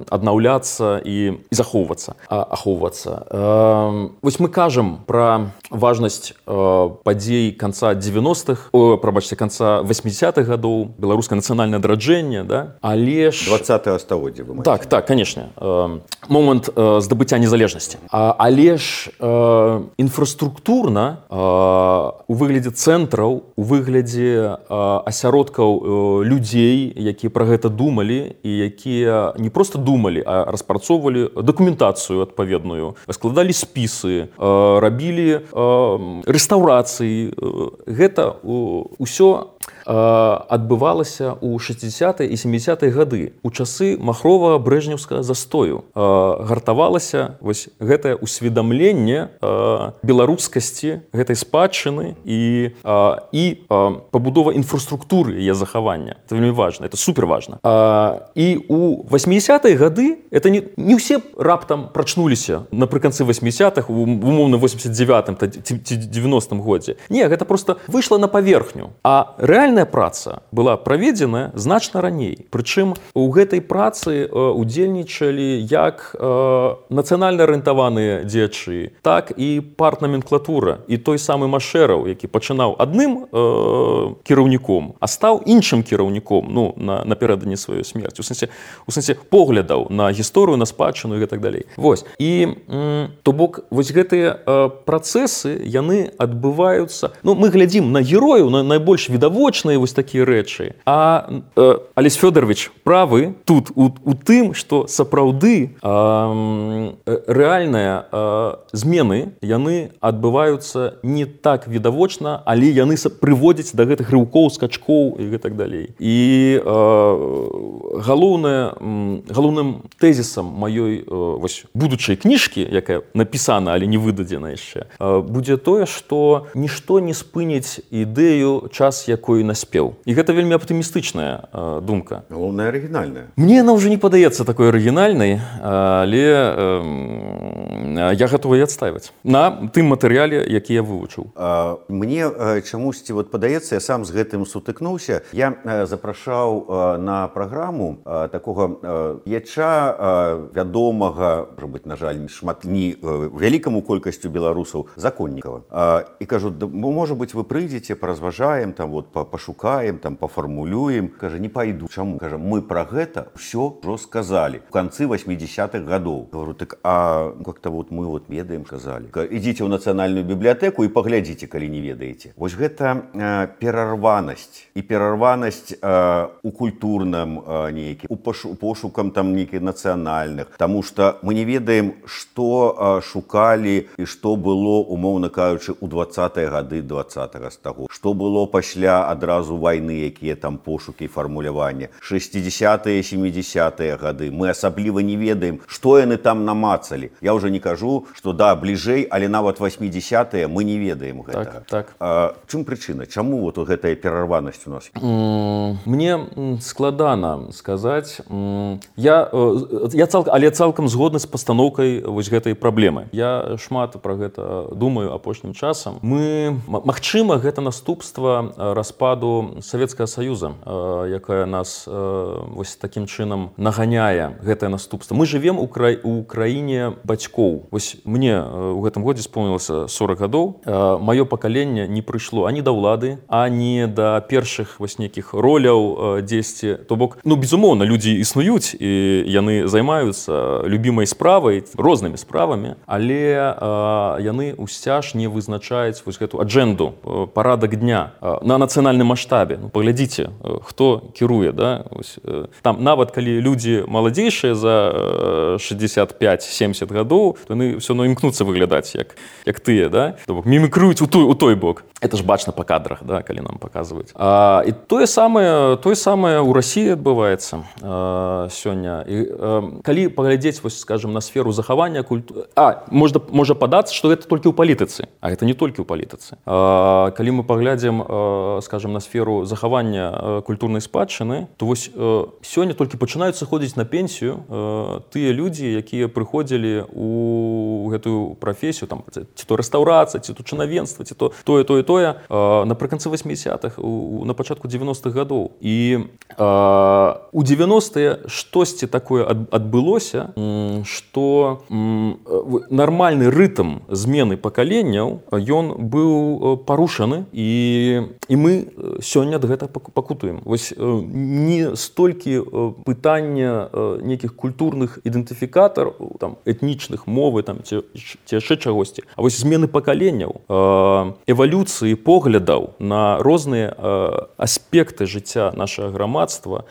аднаўляцца і, і захоўвацца, а, ахоўвацца. Э, вось мы кажам пра важнасць э, падзей канца дзевяностых, о, прабачце, канца восьмідзесятых гадоў, беларускае нацыянальнае адраджэнне, да? Але ж... двадцатага стагоддзя, вы маеце. Так, так, канешне. Э, момант э, здабыцця незалежнасці. А, але ж э, інфраструктурна э, у выглядзе цэнтраў, у выглядзе э, асяродкаў э, людзей, якія пра гэта думалі і якія не проста думалі, а распрацоўвалі дакументацыю адпаведную, складалі спісы, э, рабілі э, рэстаўрацыі. Гэта ўсё адбывалася ў шэсцідзесятыя і сямідзесятыя гады, у часы махрова-брэжнеўскага застою. Гартавалася вось гэтае усведамленне беларускасці гэтай спадчыны і, і пабудова інфраструктуры яе захавання. Это вельмі важна, это супер важна. І ў восьмідзесятыя гады это не, не ўсе раптам прачнуліся напрыканцы восьмідзесятых, умоўна восемьдесят девятым ці девяностым годзе. Не, гэта просто выйшла на паверхню. А рэальная праца была праведзеная значна раней. Прычым у гэтай працы удзельнічалі як нацыянальна арыентаваныя дзеячы, так і партнаменклатура. І той самы Машэраў, які пачынаў адным э, кіраўніком, а стаў іншым кіраўніком, ну, на, напярэдадні сваёй смерці. У сэнсе, у сэнсе поглядаў на гісторыю, на спадчыну і так далей. Вось. І м, то бок вось гэтыя э, працэсы, яны адбываюцца. Ну, мы глядзім на герояў, на найбольш відавочных бачныя вось такія рэчы. А э, Алесь Фёдорович правы тут у, у тым, што сапраўды э, рэальныя э, змены яны адбываюцца не так відавочна, але яны прыводзяць да гэтых рыўкоў, скачкоў і гэтак далей. І э, галоўнае, галоўным тэзісам маёй э, вось, будучай кніжкі, якая напісана, але не выдадзена яшчэ, э, будзе тое, што нішто не спыніць ідэю, час якой наспеў. І гэта вельмі аптымістычная э, думка. Галоўная арыгінальная. Мне яна ўжо не падаецца такой арыгінальнай, але э, я гатовы адстайваць на тым матэрыяле, які я вывучыў. А, мне э, чамусьці вот падаецца, я сам з гэтым сутыкнуўся. Я э, запрашаў э, на праграму э, такога э, яча э, вядомага, можа быць, на жаль, шмат не э, вялікаму колькасцю беларусаў законнікава. Э, і кажу, да, можа быць, вы прыйдзеце, паразважаем, там вот пашукаем, там пафармулюем. Кажа, не пайду. Чаму? Кажа, мы пра гэта ўсё ўжо сказалі у канцы восьмідзесятых гадоў. Говорю, так а как-то вот мы вот ведаем, сказалі. Ідзіце ў нацыянальную бібліятэку і паглядзіце, калі не ведаеце. Вось гэта э, перарванасць і перарванасць э, у культурным э, нейкі, у пошу, пошукам там нейкіх нацыянальных, таму што мы не ведаем, што э, шукалі і што было, умоўна кажучы, у двадцатыя гады двадцатага стагоддзя. Што было пасля адразу вайны, якія там пошукі і фармулявання. шэсцідзесятыя, сямідзесятыя гады. Мы асабліва не ведаем, што яны там намацалі. Я ўжо не кажу, што да, бліжэй, але нават восьмідзесятыя мы не ведаем гэтага. Так, так. А, чым прычына? Чаму вот гэтая перарванасць у нас? Мне складана сказаць. Я, я цалкам, але цалкам згодны з пастаноўкай вось гэтай праблемы. Я шмат пра гэта думаю апошнім часам. Мы, магчыма, гэта наступства распаду Савецкага Саюза, якая нас вось такім чынам наганяе, гэтае наступства. Мы жывем у, кра... у краіне бацькоў. Вось мне у гэтым годзе спомнілася сорок гадоў. Маё пакаленне не прыйшло ані да ўлады, ані да першых вось нейкіх роляў дзесьці. То бок, ну, безумоўна, людзі існуюць і яны займаюцца любімай справай, рознымі справамі, але а, яны ўсцяж не вызначаюць вось гэту аджэнду, парадак дня а, на нацыянальным маштабе. Ну, паглядзіце, хто кіруе, да? Ось, там нават калі людзі маладзейшыя за шэсцьдзесят пять семьдесят гадоў, то яны ўсё адно імкнуцца выглядаць як, як тыя, да? То бок, мімікруюць у той, у той бок. Это ж бачна па кадрах, да, калі нам паказваюць. А, і тое самае, тое самае ў Расіі адбываецца а, сёння. І, а, калі паглядзець, вось, скажем, на сферу захавання культуры... А, можна, можа падацца, што гэта толькі ў палітыцы. А гэта не толькі ў палітыцы. А, калі мы паглядзім, а, скажем, на сферу захавання культурнай спадчыны, то вось а, сёння толькі пачынаюць сыходзіць на пенсію а, тыя людзі, якія прыходзілі у гэтую прафесію, там, ці то рэстаўрацыя, ці то чынавенства, ці то тое, тое, тое, а, напрыканцы восьмідзесятых, у, на пачатку дзевяностых гадоў. І а, у дзевяностыя штосьці такое ад, адбылося, што нармальны рытм змены пакаленняў, ён быў парушаны, і, і мы сёння ад гэта пакутуем. Вось не столькі пытання нейкіх культурных ідэнтыфікатараў, там, этнічных, мовы, там, ці, ці яшчэ чагосьці, а вось змены пакаленняў, эвалюцыі поглядаў на розныя аспекты жыцця нашага грамадства,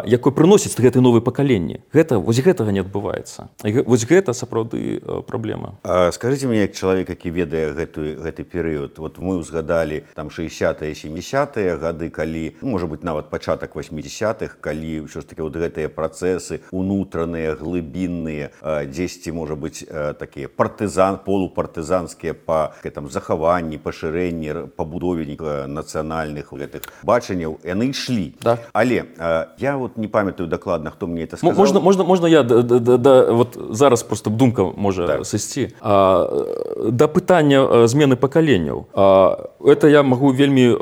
якое прыносіць гэтае новае пакаленне. Гэта, вось гэтага не адбываецца. Вось гэта сапраўды праблема. А скажыце мне, як чалавек, які ведае гэты, гэты перыяд, вот мы ўзгадалі там шэсцідзесятыя, сямідзесятыя гады, калі, ну, можа быць, нават пачатак восьмідзесятых, калі ўсё ж такі вот гэтыя працэсы унутраныя, глыбінныя, дзесьці, можа быць, такія партызан, полупартызанскія па там захаванні, пашырэнні, пабудове нацыянальных гэтых бачанняў, яны ішлі. Да. Але я вот не памятаю дакладна, хто мне это сказаў. Можна, можна, можна я да, да, да, вот зараз просто думка можа так сысці. А, да пытання змены пакаленняў. А, это я магу вельмі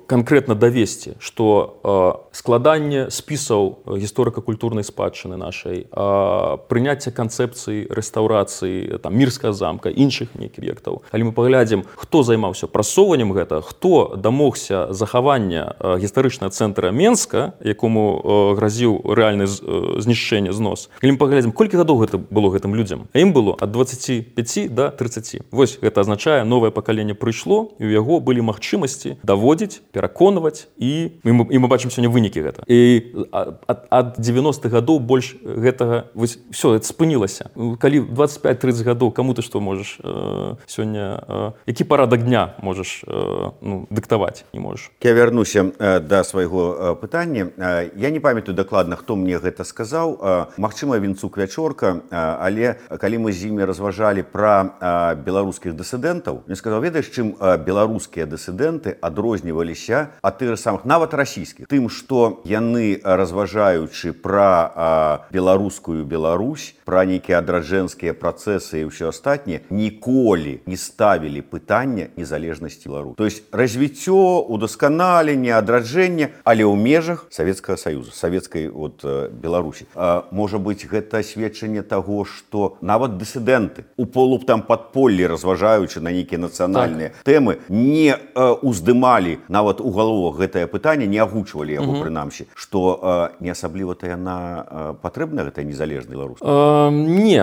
канкрэтна давесці, што а, складанне спісаў гісторыка-культурнай спадчыны нашай, а, прыняцце канцэпцыі рэстаўрацыі рэстаўрацыі там мірскага замка, іншых нейкіх аб'ектаў. Калі мы паглядзім, хто займаўся прасоўваннем гэта, хто дамогся захавання гістарычнага цэнтра Менска, якому гразіў рэальны знішчэнне, знос. Калі мы паглядзім, колькі гадоў гэта было гэтым людзям? А ім было ад дваццаці пяці да трыццаці. Вось гэта азначае, новае пакаленне прыйшло, і ў яго былі магчымасці даводзіць, пераконваць, і мы, і мы бачым сёння вынікі гэта. І ад, ад дзевяностых гадоў больш гэтага, вось, все, это спынілася. Калі дваццаць пяць трыццаць гадоў, каму ты што можаш э, сёння, э, які парадак дня можаш э, ну, дыктаваць, не можаш? Я вярнуся э, да свайго э, пытання. Э, я не памятаю дакладна, хто мне гэта сказаў. Э, магчыма, Вінцук Вячорка, э, але калі мы з імі разважалі пра э, беларускіх дысідэнтаў, мне сказаў, ведаеш, чым э, беларускія дысідэнты адрозніваліся ад тых самых, нават расійскіх, тым, што яны, разважаючы пра э, беларускую Беларусь, пра нейкія адраджэнскія працэсы і ўсё астатняе, ніколі не ставілі пытання незалежнасці Беларусі. То есть развіццё, удасканаленне, адраджэнне, але ў межах Савецкага Саюза, савецкай вот, Беларусі. А, можа быць, гэта сведчанне таго, што нават дысідэнты у полуб там падполлі, разважаючы на нейкія нацыянальныя так. тэмы, не а, уздымалі нават у галовах гэтае пытанне, не агучвалі яго, угу. прынамсі, што а, не асабліва-то яна а, патрэбна, гэтая незалежная Беларусь? А, не.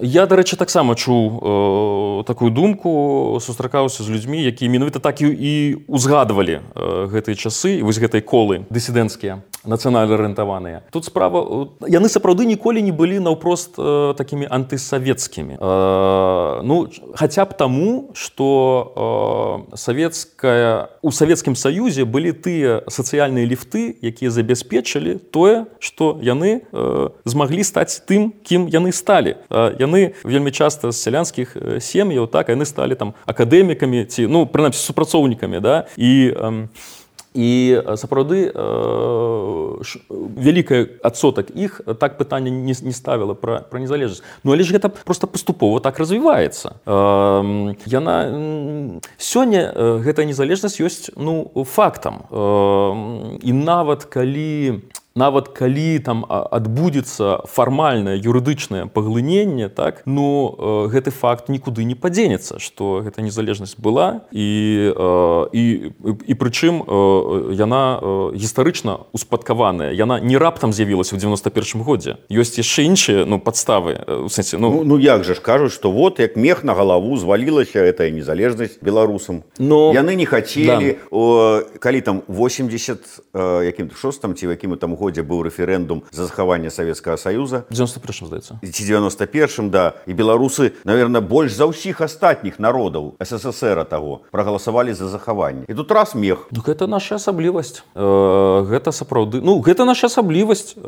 Я, дарэчы, таксама чуў э, такую думку, сустракаўся з людзьмі, якія менавіта так і, і узгадвалі э, гэтыя часы, вось гэтай колы дысідэнцкія, нацыянальна арыентаваныя. Тут справа, яны сапраўды ніколі не былі наўпрост э, такімі антысавецкімі. Э, ну, хаця б таму, што э, савецкая, у Савецкім Саюзе былі тыя сацыяльныя ліфты, якія забяспечылі тое, што яны э, змаглі стаць тым, кім яны сталі. Э, яны вельмі часта з сялянскіх сем'яў, так, яны сталі там акадэмікамі ці, ну, прынамсі, супрацоўнікамі, да, і э, І сапраўды э, вялікая адсотак іх так пытанне не, не ставіла пра, пра незалежнасць. Ну, але ж гэта проста паступова так развіваецца. Э, яна... Сёння гэтая незалежнасць ёсць, ну, фактам. Э, і нават калі... Нават калі там адбудзецца фармальнае юрыдычнае паглыненне, так, ну, э, гэты факт нікуды не падзенецца, што гэта незалежнасць была, і, э, і, і прычым э, яна э, гістарычна успадкаваная, яна не раптам з'явілася ў дзевяноста першым годзе. Ёсць яшчэ іншыя, ну, падставы. У сэнсе, ну... Ну, ну як жа ж кажуць, што вот як мех на галаву звалілася гэтая незалежнасць беларусам. Но... Яны не хацелі, да. о, калі там восемьдесят шостым ці якім там годзе быў рэферэндум за захаванне Савецкага Саюза. дзевяноста першым, здаецца. Ці дзевяноста першым, да. І беларусы, наверное, больш за ўсіх астатніх народаў СССР таго прагаласавалі за захаванне. І тут раз мех. Ну, гэта наша асаблівасць. Э, гэта сапраўды... Ну, гэта наша асаблівасць. Э,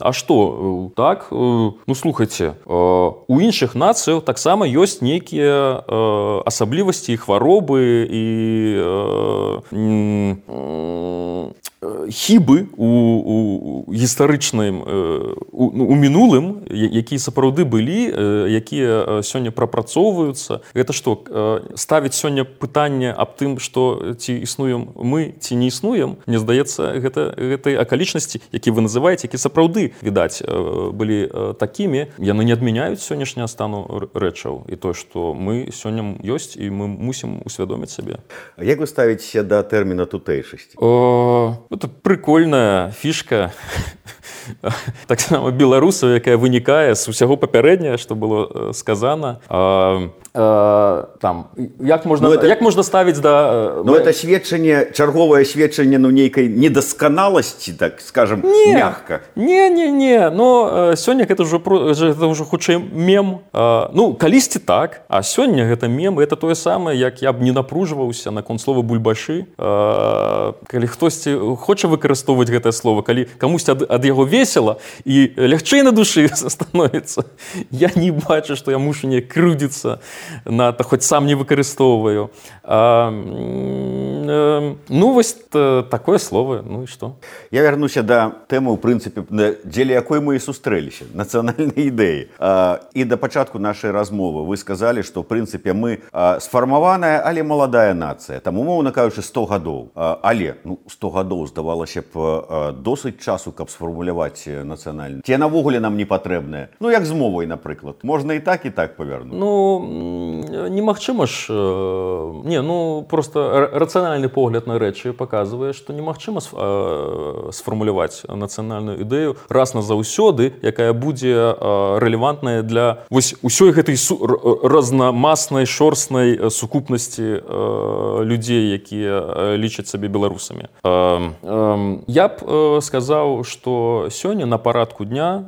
а што? Так? Э, ну, слухайце, э, у іншых нацыяў таксама ёсць нейкія э, асаблівасці і хваробы і э, э, хібы у, у гістарычным у, у мінулым, якія сапраўды былі, якія сёння прапрацоўваюцца. Гэта што, ставіць сёння пытанне аб тым, што ці існуем мы, ці не існуем, мне здаецца, гэта гэтай акалічнасці, які вы называеце, які сапраўды, відаць, былі такімі, яны не адмяняюць сённяшняга стану рэчаў і тое, што мы сёння ёсць і мы мусім усвядоміць сабе. Як вы ставіцеся да тэрміна тутэйшасці? Это прикольная фішка таксама беларусаў, якая вынікае з усяго папярэдняга, што было сказана. А, а, там, як можна, ну, это, як можна ставіць да... Ну, это сведчанне, чарговае сведчанне, ну, нейкай недасканаласці, так скажем, не, мягка. Не, не, не. Но сёння гэта ўжо, гэта ўжо хутчэй мем. А, ну, калісьці так, а сёння гэта мем, гэта тое самае, як я б не напружваўся наконт слова бульбашы. А, калі хтосьці хоча выкарыстоўваць гэтае слово, калі камусьці ад, ад яго весела і лягчэй на душы становіцца, я не бачу, што я мушу не крыўдзіцца на то, хоць сам не выкарыстоўваю. А, э, ну, вось такое слово, ну і што? Я вярнуся да тэмы, у прынцыпе, дзеля якой мы і сустрэліся, нацыянальнай ідэі. А, і да пачатку нашай размовы вы сказалі, што, ў прынцыпе, мы а, сфармаваная, але маладая нацыя. Там, умоўна кажучы, сто гадоў. А, але, ну, сто гадоў здавалася б, досыць часу, каб сфармуляваць нацыянальны. Ці навогуле нам не патрэбныя? Ну, як з мовай, напрыклад. Можна і так, і так павернуць. Ну, немагчыма ж... Не, ну, просто рацыянальны погляд на рэчы паказвае, што немагчыма сфармуляваць нацыянальную ідэю раз назаўсёды, якая будзе рэлевантная для вось усёй гэтай разнамаснай, шорстнай сукупнасці людзей, якія лічаць сабе беларусамі. Я б сказаў, што сёння на парадку дня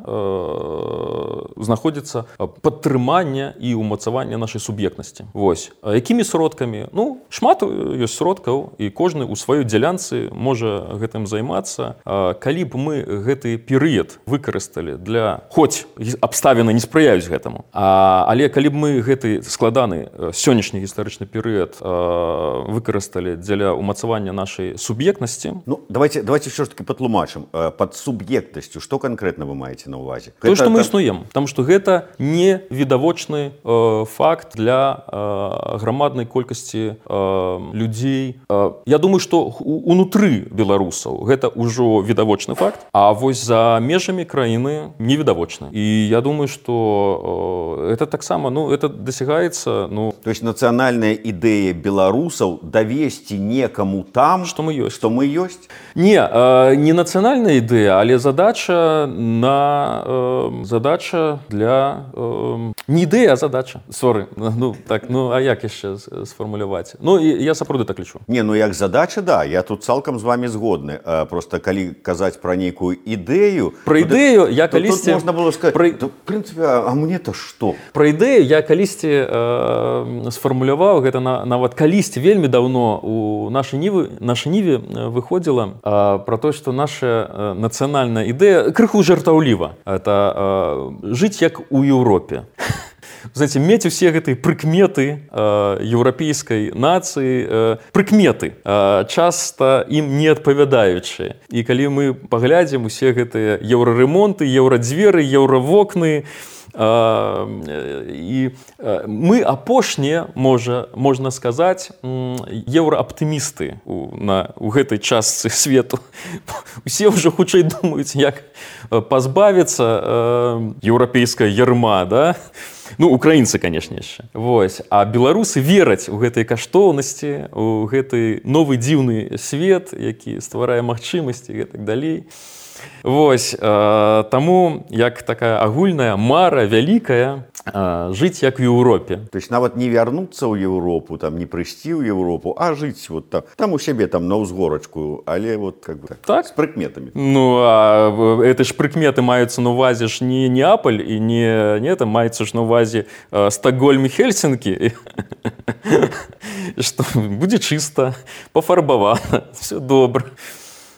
знаходзіцца падтрыманне і ўмацаванне нашай суб'ектнасці. Вось. Якімі сродкамі? Ну, шмат ёсць сродкаў, і кожны ў сваёй дзялянцы можа гэтым займацца. Калі б мы гэты перыяд выкарысталі для... Хоць абставіны не спрыяюць гэтаму. А, але калі б мы гэты складаны сённяшні гістарычны перыяд выкарысталі дзеля ўмацавання нашай суб'ектнасці... Ну, давайте, давайте все ж таки патлумачым. Под суб'ектнасцю што канкрэтна вы маеце на ўвазе? То, што мы існуем. Таму што гэта не відавочны э, факт для э, грамаднай колькасці э, людзей. Э, я думаю, што унутры беларусаў гэта ўжо відавочны факт, а вось за межамі краіны невідавочны. І я думаю, што э, это таксама, ну, это дасягаецца, ну... То есть нацыянальная ідэя беларусаў давесці некаму там, што мы ёсць. Што мы ёсць? Не, э, не нацыянальная ідэя, але задача на э, задача для э, не ідэя, а задача. Соры. Ну так, ну а як яшчэ сфармуляваць? Ну і я сапраўды так лічу. Не, ну як задача, да, я тут цалкам з вами згодны. А, просто калі казаць пра нейкую ідэю, пра ідэю я то, калісьці тут можна было сказаць, пра... то, в прынцыпе, а, а мне-то што? Пра ідэю я калісьці э, сфармуляваў гэта на, нават калісьці вельмі даўно у нашай ніве, нашай ніве выходзіла э, пра то, што наша э, нацыянальная ідэя крыху жартаўліва. Это э, жыць як у Еўропе. Знаете, мець усе гэтыя прыкметы э, еўрапейскай нацыі, э, прыкметы, э, часта ім не адпавядаючыя. І калі мы паглядзім усе гэтыя еўраремонты, еўрадзверы, еўравокны, і мы апошнія, можа, можна сказаць, еўрааптымісты у, на, у гэтай частцы свету. Усе ўжо хутчэй думаюць, як пазбавіцца еўрапейская ярма, да? Ну, украінцы, канешне, яшчэ. Вось. А беларусы вераць у гэтай каштоўнасці, у гэты новы дзіўны свет, які стварае магчымасці і так далей. Вось, э, таму як такая агульная мара вялікая э, жыць як в Еўропе. То есть нават не вярнуцца ў Еўропу, там не прыйсці ў Еўропу, а жыць вот там, там у сябе там на ўзгорачку, але вот как бы так, так? С прыкметамі. Ну, а это ж прыкметы маюцца на ўвазе ж не Неаполь і не, не там маецца ж на ўвазе э, Стокгольм і Хельсінкі. Што будзе чыста, пафарбавана, все добра.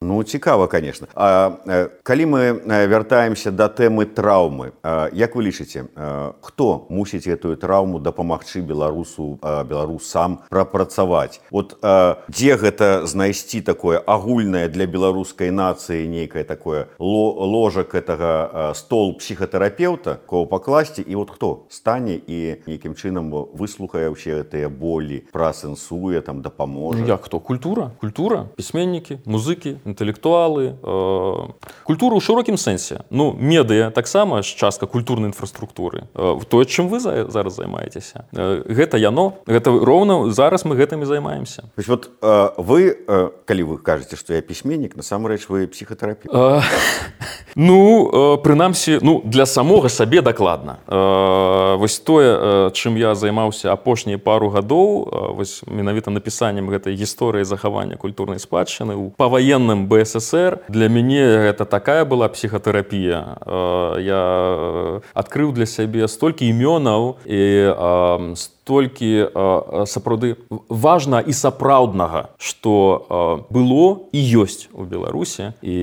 Ну, цікава, конечно. А, калі мы вяртаемся да тэмы траўмы, як вы лічыце, хто мусіць гэтую траўму дапамагчы беларусу, беларусам прапрацаваць? Вот дзе гэта знайсці такое агульнае для беларускай нацыі нейкае такое ложак гэтага стол псіхатэрапеўта, кого пакласці, і вот хто стане і нейкім чынам выслухае ўсе гэтыя болі, праасэнсуе, там дапаможа? Як хто? Культура? Культура? Пісьменнікі, музыкі, інтэлектуалы, э, культура ў шырокім сэнсе. Ну, медыа таксама ж частка культурнай інфраструктуры. Э, тое, чым вы за, зараз займаецеся. Э, гэта яно, гэта роўна зараз мы гэтым і займаемся. То есть вот э, вы, э, калі вы кажаце, што я пісьменнік, насамрэч вы псіхатэрапеўт. Э, ну, э, прынамсі, ну, для самога сабе дакладна. Э, вось тое, э, чым я займаўся апошнія пару гадоў, э, вось менавіта напісаннем гэтай гісторыі захавання культурнай спадчыны ў паваенным бэ эс эс эр, для мяне гэта такая была псіхатэрапія. Я адкрыў для сябе столькі імёнаў і столькі сапраўды важна і сапраўднага, што было і ёсць у Беларусі, і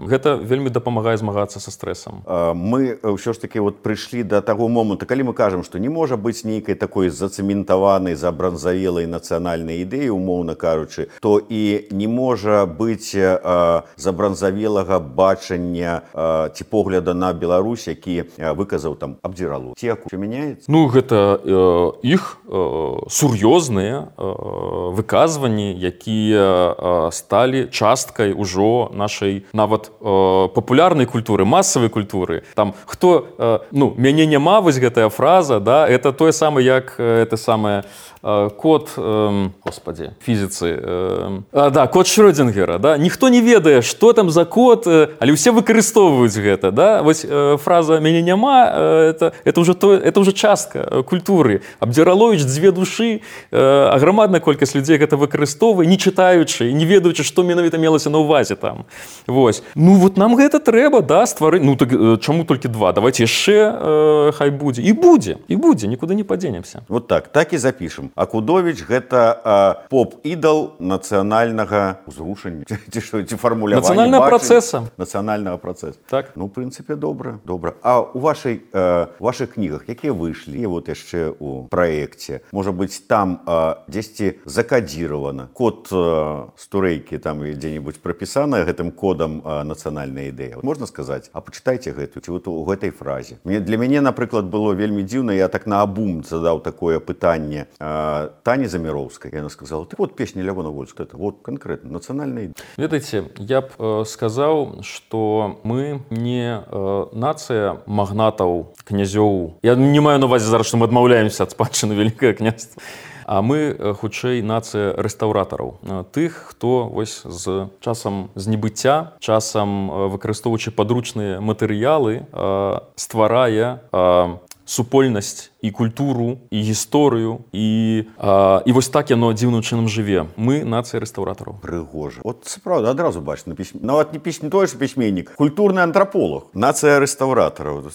гэта вельмі дапамагае змагацца са стрэсам. Мы ўсё ж такі вот прыйшлі да таго моманту, калі мы кажам, што не можа быць нейкай такой зацэментаванай, забранзавелай нацыянальнай ідэі, умоўна кажучы, то і не можа быць такое э, забранзавелага бачання э, ці погляда на Беларусь, які э, выказаў там Абдзіралов. Ці як мяняецца? Ну, гэта э, іх э, сур'ёзныя э, выказванні, якія э, сталі часткай ужо нашай нават э, папулярнай культуры, масавай культуры. Там хто э, ну, мяне няма, вось гэтая фраза, да, это тое самае, як это самае э, код, э, господи, фізіцы, э, э, да, код Шрёдингера, да, ніхто не ведае, што там за код, э, але ўсе выкарыстоўваюць гэта, да, вось э, фраза мяне няма, э, это, это уже то, это уже частка культуры. Абдзіраловіч дзве душы, э, а грамадная колькасць людзей гэта выкарыстоўвае, не чытаючы, не ведаючы, што менавіта мелася на ўвазе там. Вось. Ну вот нам гэта трэба, да, стварыць. Ну так э, чаму толькі два? Давайте яшчэ э, хай будзе. І будзе, і будзе, нікуды не падзенемся. Вот так, так і запішам. Акудовіч гэта э, поп-ідал нацыянальнага ўзрушання. Ці што, ці фармулявання нацыянальнага працэса. Нацыянальнага працэса. Так. Ну, в прынцыпе, добра, добра. А у вашай, э, вашых кнігах, якія выйшлі, і вот яшчэ у праекце, можа быць, там э, дзесьці закадзіравана код э, стурэйкі, там дзе-небудзь прапісана гэтым кодам э, нацыянальная ідэя. Можна сказаць, а пачытайце гэту, ці вот у гэтай фразе. Мне, для мяне, напрыклад, было вельмі дзіўна, я так наабум задаў такое пытанне э, Тані Заміроўскай. Яна сказала, ты вот песня Лявона Вольска, это вот конкретно нацыянальная ідэя. Ведаеце, я б э, сказаў, што мы не э, нацыя магнатаў, князёў. Я не маю на увазе зараз, што мы адмаўляемся ад спадчыны Вялікае княства. А мы, хутчэй, нацыя рэстаўратараў. Тых, хто вось з часам знебыцця, часам выкарыстоўваючы падручныя матэрыялы, стварае супольнасць і культуру, і гісторыю, і, а, і вось так яно дзіўным чынам жыве. Мы нацыя рэстаўратараў. Прыгожа. От сапраўды, адразу бачыш на пісьме. Нават не пісьме, той ж пісьменнік, культурны антраполог. Нацыя рэстаўратараў.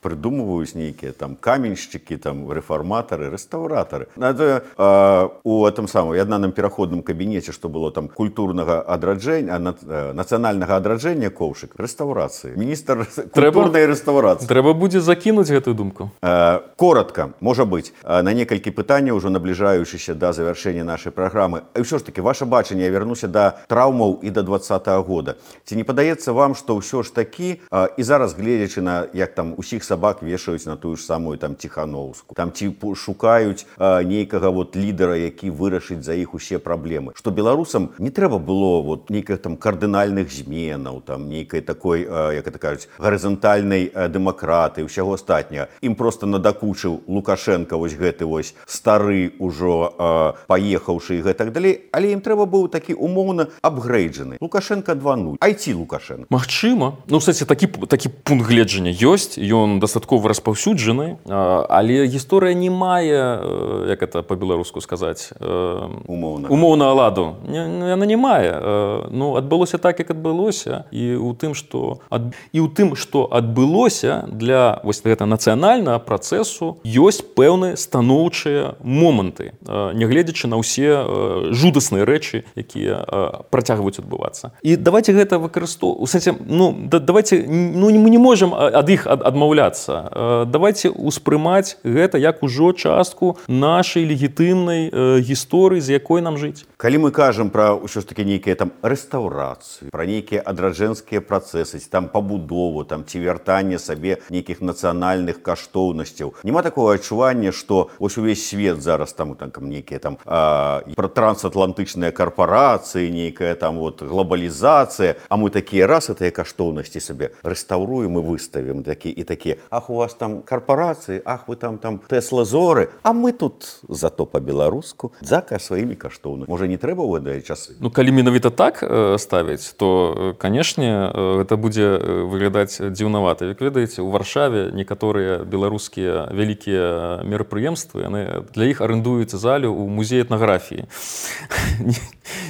Придумываюсь нейкие там каменщики, там реформаторы, реставраторы. Это э, у этом самом одном переходном кабинете, что было там культурного адраджения, э, национального адраджения ковшик, реставрации. Министр культурной реставрации. Треба будет закинуть эту думку. Э, коротко, может быть, э, на несколько питаний, уже наближающихся до завершения нашей программы. И все ж таки, ваше бачение, я вернусь до травмов и до двадцатого года. Ці не подається вам, что все ж таки, э, и зараз глядячи на, як там усіх собак вешаюць на тую ж самую там Ціхановскую. Там ці шукаюць э, нейкага вот лідара, які вырашыць за іх усе праблемы. Што беларусам не трэба было вот нейкіх там кардынальных зменаў, там нейкай такой, э, як это кажуць, гарызантальнай э, дэмакраты і ўсяго астатняга. Ім просто надакучыў Лукашенко вось гэты вось стары ўжо э, паехаўшы і гэтак далей, але ім трэба быў такі умоўна апгрейджаны. Лукашенко два нуль. ай ти Лукашенко. Магчыма. Ну, кстати, такі, такі пункт гледжання ёсць, ён дастаткова распаўсюджаны, але гісторыя не мае, як это па-беларуску сказаць, умоўна, умоўна ладу. Яна не мае. Ну, адбылося так, як адбылося, і ў тым, што ад... і ў тым, што адбылося для вось гэта нацыянальнага працэсу ёсць пэўныя станоўчыя моманты, нягледзячы на ўсе жудасныя рэчы, якія працягваюць адбывацца. І давайте гэта выкарыстоўваць. Ну, давайте, ну, мы не можам ад іх адмаўляцца. Давайте успрымаць гэта як ужо частку нашай легітымнай э, гісторыі, з якой нам жыць. Калі мы кажам пра ўсё ж такі нейкія там рэстаўрацыі, пра нейкія адраджэнскія працэсы, там пабудову, там ці вяртанне сабе нейкіх нацыянальных каштоўнасцяў, няма такого адчування, што ось увесь свет зараз там, там нейкія там э, пра трансатлантычныя карпорацыі, нейкая там вот глобалізацыя, а мы такія раз гэтыя каштоўнасці сабе рэстаўруем і выставім такі і такія. Ах, у вас там корпорации, ах, вы там там Тесла-зоры, а мы тут зато по-беларуску зака сваімі каштоўнымі. Можа, не трэба ў гэтыя часы? Ну, калі менавіта так э, ставіць, то, канешне, э, гэта будзе выглядаць дзіўнавата. Як ведаеце, у Варшаве некаторыя беларускія вялікія мерапрыемствы, яны для іх арендуюць залю ў музеі этнаграфіі.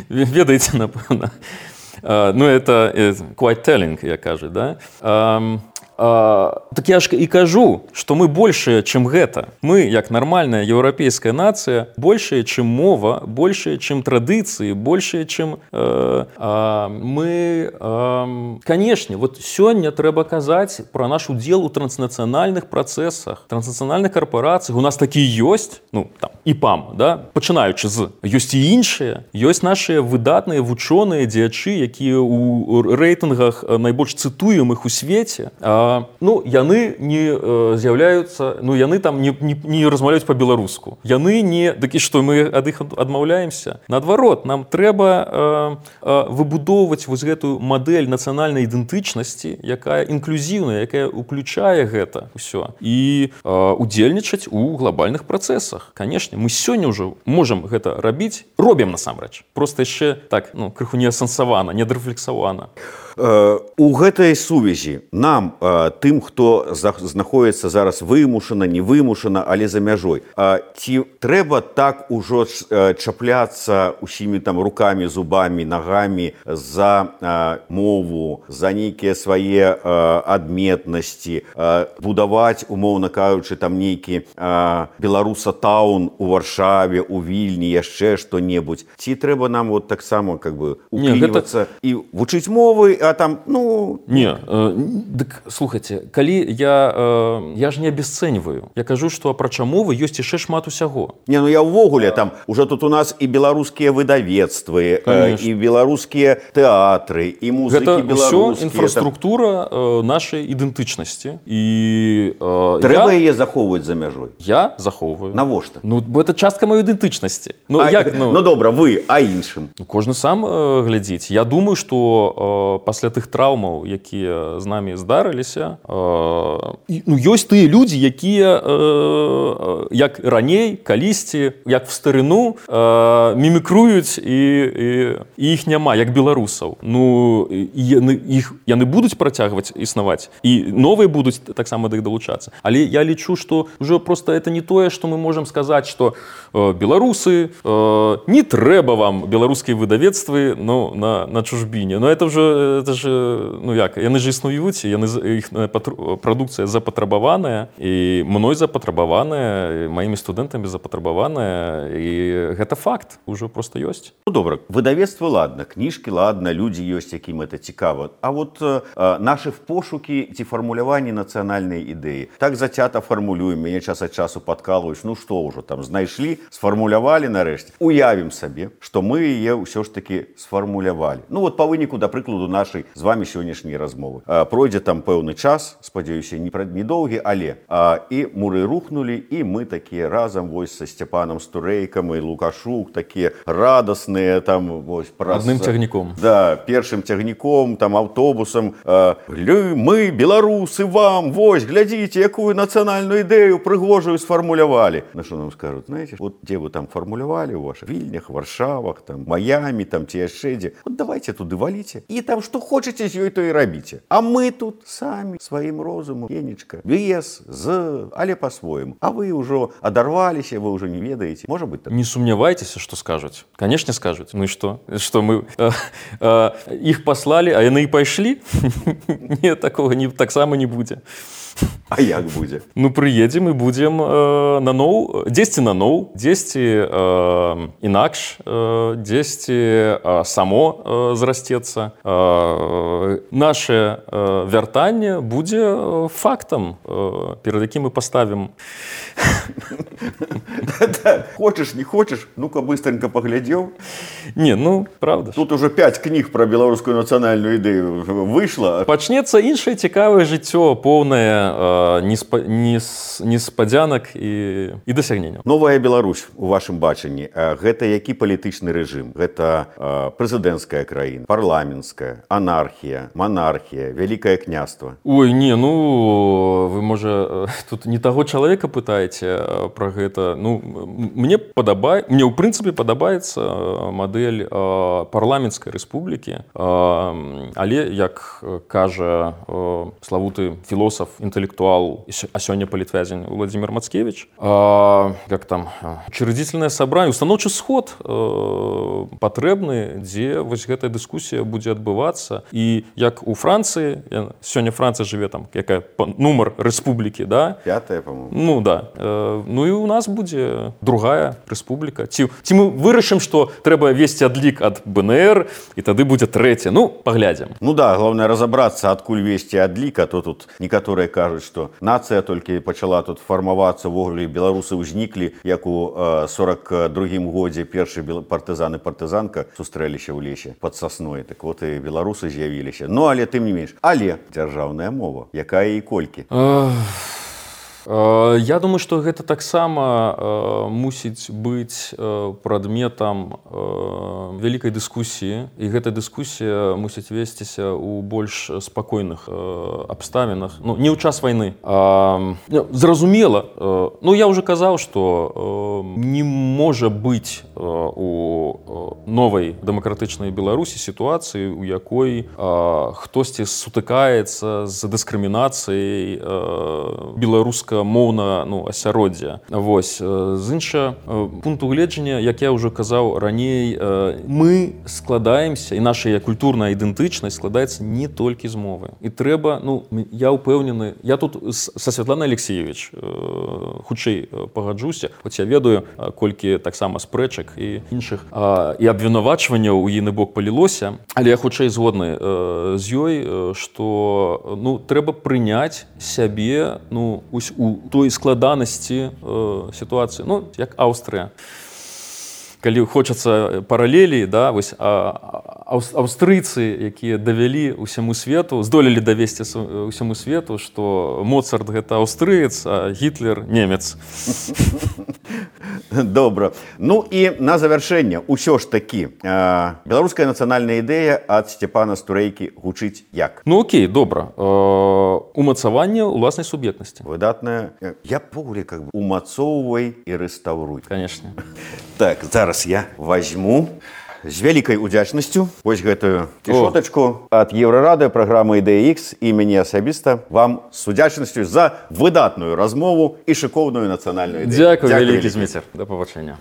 Ведаеце, напэўна. Ну, это quite telling, як кажуць, да? А, так я ж і кажу, што мы большыя, чым гэта. Мы, як нармальная еўрапейская нацыя, большая, чым мова, большая, чым традыцыі, большая, чым э, э, мы... Э, канешне, вот сёння трэба казаць пра наш удзел у транснацыянальных працэсах, транснацыянальных карпорацыях. У нас такі ёсць, ну, там, і пам, да, пачынаючы з. Ёсць і іншыя. Ёсць нашыя выдатныя вучоныя дзеячы, якія ў рэйтынгах найбольш цытуемых у свеце. А, ну, яны не э, з'яўляюцца, ну, яны там не, не, не размаўляюць па-беларуску. Яны не... Дык і што, мы ад іх адмаўляемся? Наадварот, нам трэба э, э, выбудоўваць вось гэтую мадэль нацыянальнай ідэнтычнасці, якая інклюзіўная, якая ўключае гэта ўсё. І э, удзельнічаць у глобальных працэсах. Канешне, мы сёння ўжо можам гэта рабіць, робім насамрэч. Проста яшчэ так, ну, крыху не асэнсавана, не дарэфлексавана. У гэтай сувязі нам, тым, хто знаходіцца зараз вымушана, не вымушана, але за мяжой, ці трэба так ужо чапляцца усімі там рукамі, зубамі, нагамі за мову, за нейкія свае адметнасці, будаваць, умоўна кажучы, там нейкі беларуса-таун у Варшаве, у Вільні, яшчэ што-небудзь. Ці трэба нам вот таксама как бы уклінівацца гэта... і вучыць мовы, а там, ну... Не, э, дык, слухайце, калі я, э, я ж не абясцэньваю. Я кажу, што апрача мовы ёсць яшчэ шмат усяго. Не, ну я ўвогуле, там, уже тут у нас і беларускія выдавецтвы, э, і беларускія тэатры, і музыкі беларускія. Гэта ўсё інфраструктура э, нашай ідэнтычнасці. І, э, трэба я... яе захоўваць за мяжой. Я захоўваю. Навошта? Ну, бо это частка маёй ідэнтычнасці. Ну, а, як, ну... ну, добра, вы, а іншым? Кожны сам э, глядзіць. Я думаю, што э, пасля тых траўмаў, якія з намі здарыліся, э, ну, ёсць тыя людзі, якія, э, як раней, калісьці, як в старыну, э, мімікруюць, і, і, і іх няма, як беларусаў. Ну, яны, іх, яны будуць працягваць існаваць, і новыя будуць таксама да іх далучацца. Але я лічу, што ўжо проста это не тое, што мы можам сказаць, што э, беларусы, э, не трэба вам беларускія выдавецтвы, ну, на, на чужбіне. Но это ўжо это ж, ну як, яны ж існуюць, яны, іх прадукцыя запатрабаваная, і мной запатрабаваная, і маімі студэнтамі запатрабаваная, і гэта факт, ужо проста ёсць. Ну, добра, выдавецтва, ладно, кніжкі, ладно, людзі ёсць, якім это цікава. А вот э, нашы пошукі ці фармуляванні нацыянальнай ідэі. Так зацята фармулюем, мяне час ад часу падкалваюць, ну што ўжо там, знайшлі, сфармулявалі нарэшце. Уявім сабе, што мы яе ўсё ж такі сфармулявалі. Ну вот па выніку, да прыкладу, нашай з вами сённяшняй размовы. А, пройдзе там пэўны час, спадзяюся, не недоўгі, але а, і муры рухнулі, і мы такія разам вось са Сцяпанам Стурэйкам і Лукашук, такія радасныя там вось праз... Адным цягніком. Да, першым цягніком, там аўтобусам. А, мы, беларусы, вам, вось, глядзіце, якую нацыянальную ідэю прыгожую сфармулявалі. На што нам скажуць, знаеце, вот дзе вы там фармулявалі ў вашых Вільнях, Варшавах, там, Маямі, там, ці яшчэ дзе. Вот давайте туды валіце. І там што хочаце з ёй, то і рабіце. А мы тут самі сваім розумам, енечка, без, з, але па-свойму. А вы ўжо адарваліся, вы ўжо не ведаеце. Можа быць так? Не сумнявайцеся, што скажуць. Канешне, скажуць. Ну і што? Што мы э, э, іх паслалі, а яны і пайшлі? Не, такога не, таксама не будзе. А як будзе? Ну, прыедзем і будзем э, наноў, дзесьці наноў, дзесьці э, інакш, э, дзесьці э, само э, зрасцецца. Э, наше э, вяртанне будзе фактам, э, перад якім мы паставім. Хочаш, не хочаш, ну-ка быстренько паглядзеў. Не, ну, правда. Тут уже пять кніг пра беларускую нацыянальную ідэю выйшла. Пачнецца іншае цікавае жыццё, поўнае неспадзянак і, і дасягненняў. Новая Беларусь у вашым бачанні. Гэта які палітычны рэжым? Гэта прэзідэнцкая краіна, парламенцкая, анархія, манархія, вялікае княства? Ой, не, ну, вы, можа, тут не таго чалавека пытаеце пра пра гэта. Ну, мне падабае, мне ў прынцыпе падабаецца мадэль парламенцкай рэспублікі, але, як кажа славуты філосаф, інтэлектуал, а сёння палітвязень Владзімір Мацкевіч, як там, учредительнае сабранне, устаноўчы сход патрэбны, дзе вось гэтая дыскусія будзе адбывацца. І як у Францыі, сёння Францыя жыве там, якая нумар рэспублікі, да? Пятая, по-моему. Ну, да. Ну і у нас будзе другая рэспубліка. Ці, ці мы вырашым, што трэба весці адлік ад БНР, і тады будзе трэця. Ну, паглядзім. Ну да, главное разобрацца, адкуль весці адлік, а то тут некаторыя кажуць, што нацыя толькі пачала тут фармавацца, ввогуле беларусы ўзніклі, як у сорок другім годзе першы партызан і партызанка сустрэліся ў лесе пад сасной. Так вот і беларусы з'явіліся. Ну, але тым не менш. Але дзяржаўная мова, якая і колькі? Я думаю, што гэта таксама мусіць быць прадметам вялікай дыскусіі, і гэта дыскусія мусіць весціся ў больш спакойных абставінах, ну, не ў час вайны. Зразумела, ну, я ўжо казаў, што не можа быць у новай дэмакратычнай Беларусі сітуацыі, у якой хтосьці сутыкаецца з дыскрымінацыяй беларускай моўна, ну, асяроддзя. Вось. З іншага пункту гледжання, як я ўжо казаў раней, мы складаемся, і наша культурная ідэнтычнасць складаецца не толькі з мовы. І трэба, ну, я ўпэўнены, я тут са Святланай Алексеевич хутчэй пагаджуся, хоць я ведаю, колькі таксама спрэчак і іншых, і абвінавачванняў у іны бок палілося, але я хутчэй згодны з ёй, што, ну, трэба прыняць сябе, ну, у той складанасці э, сітуацыі, ну, як Аўстрыя. Калі хочацца паралелі, да, вось, а, аўстрыйцы, якія давялі ўсяму свету, здолелі давесці ўсяму свету, што Моцарт гэта аўстрыец, а Гітлер немец. Добра. Ну і на завяршэнне, усё ж такі, э, беларуская нацыянальная ідэя ад Сцяпана Стурэйкі гучыць як? Ну окей, добра. Э, умацаванне ўласнай суб'ектнасці. Выдатная. Я погуле как бы умацоўвай і рэстаўруй. Конечно. Так, зараз я возьму з вялікай удзячнасцю вось гэтую кішотачку ад Еўрарадыё, праграмы Ідэя Ікс, і мяне асабіста вам з удзячнасцю за выдатную размову і шыкоўную нацыянальную ідэю. Дзякуй, вялікі Зміцер. Да пабачэння.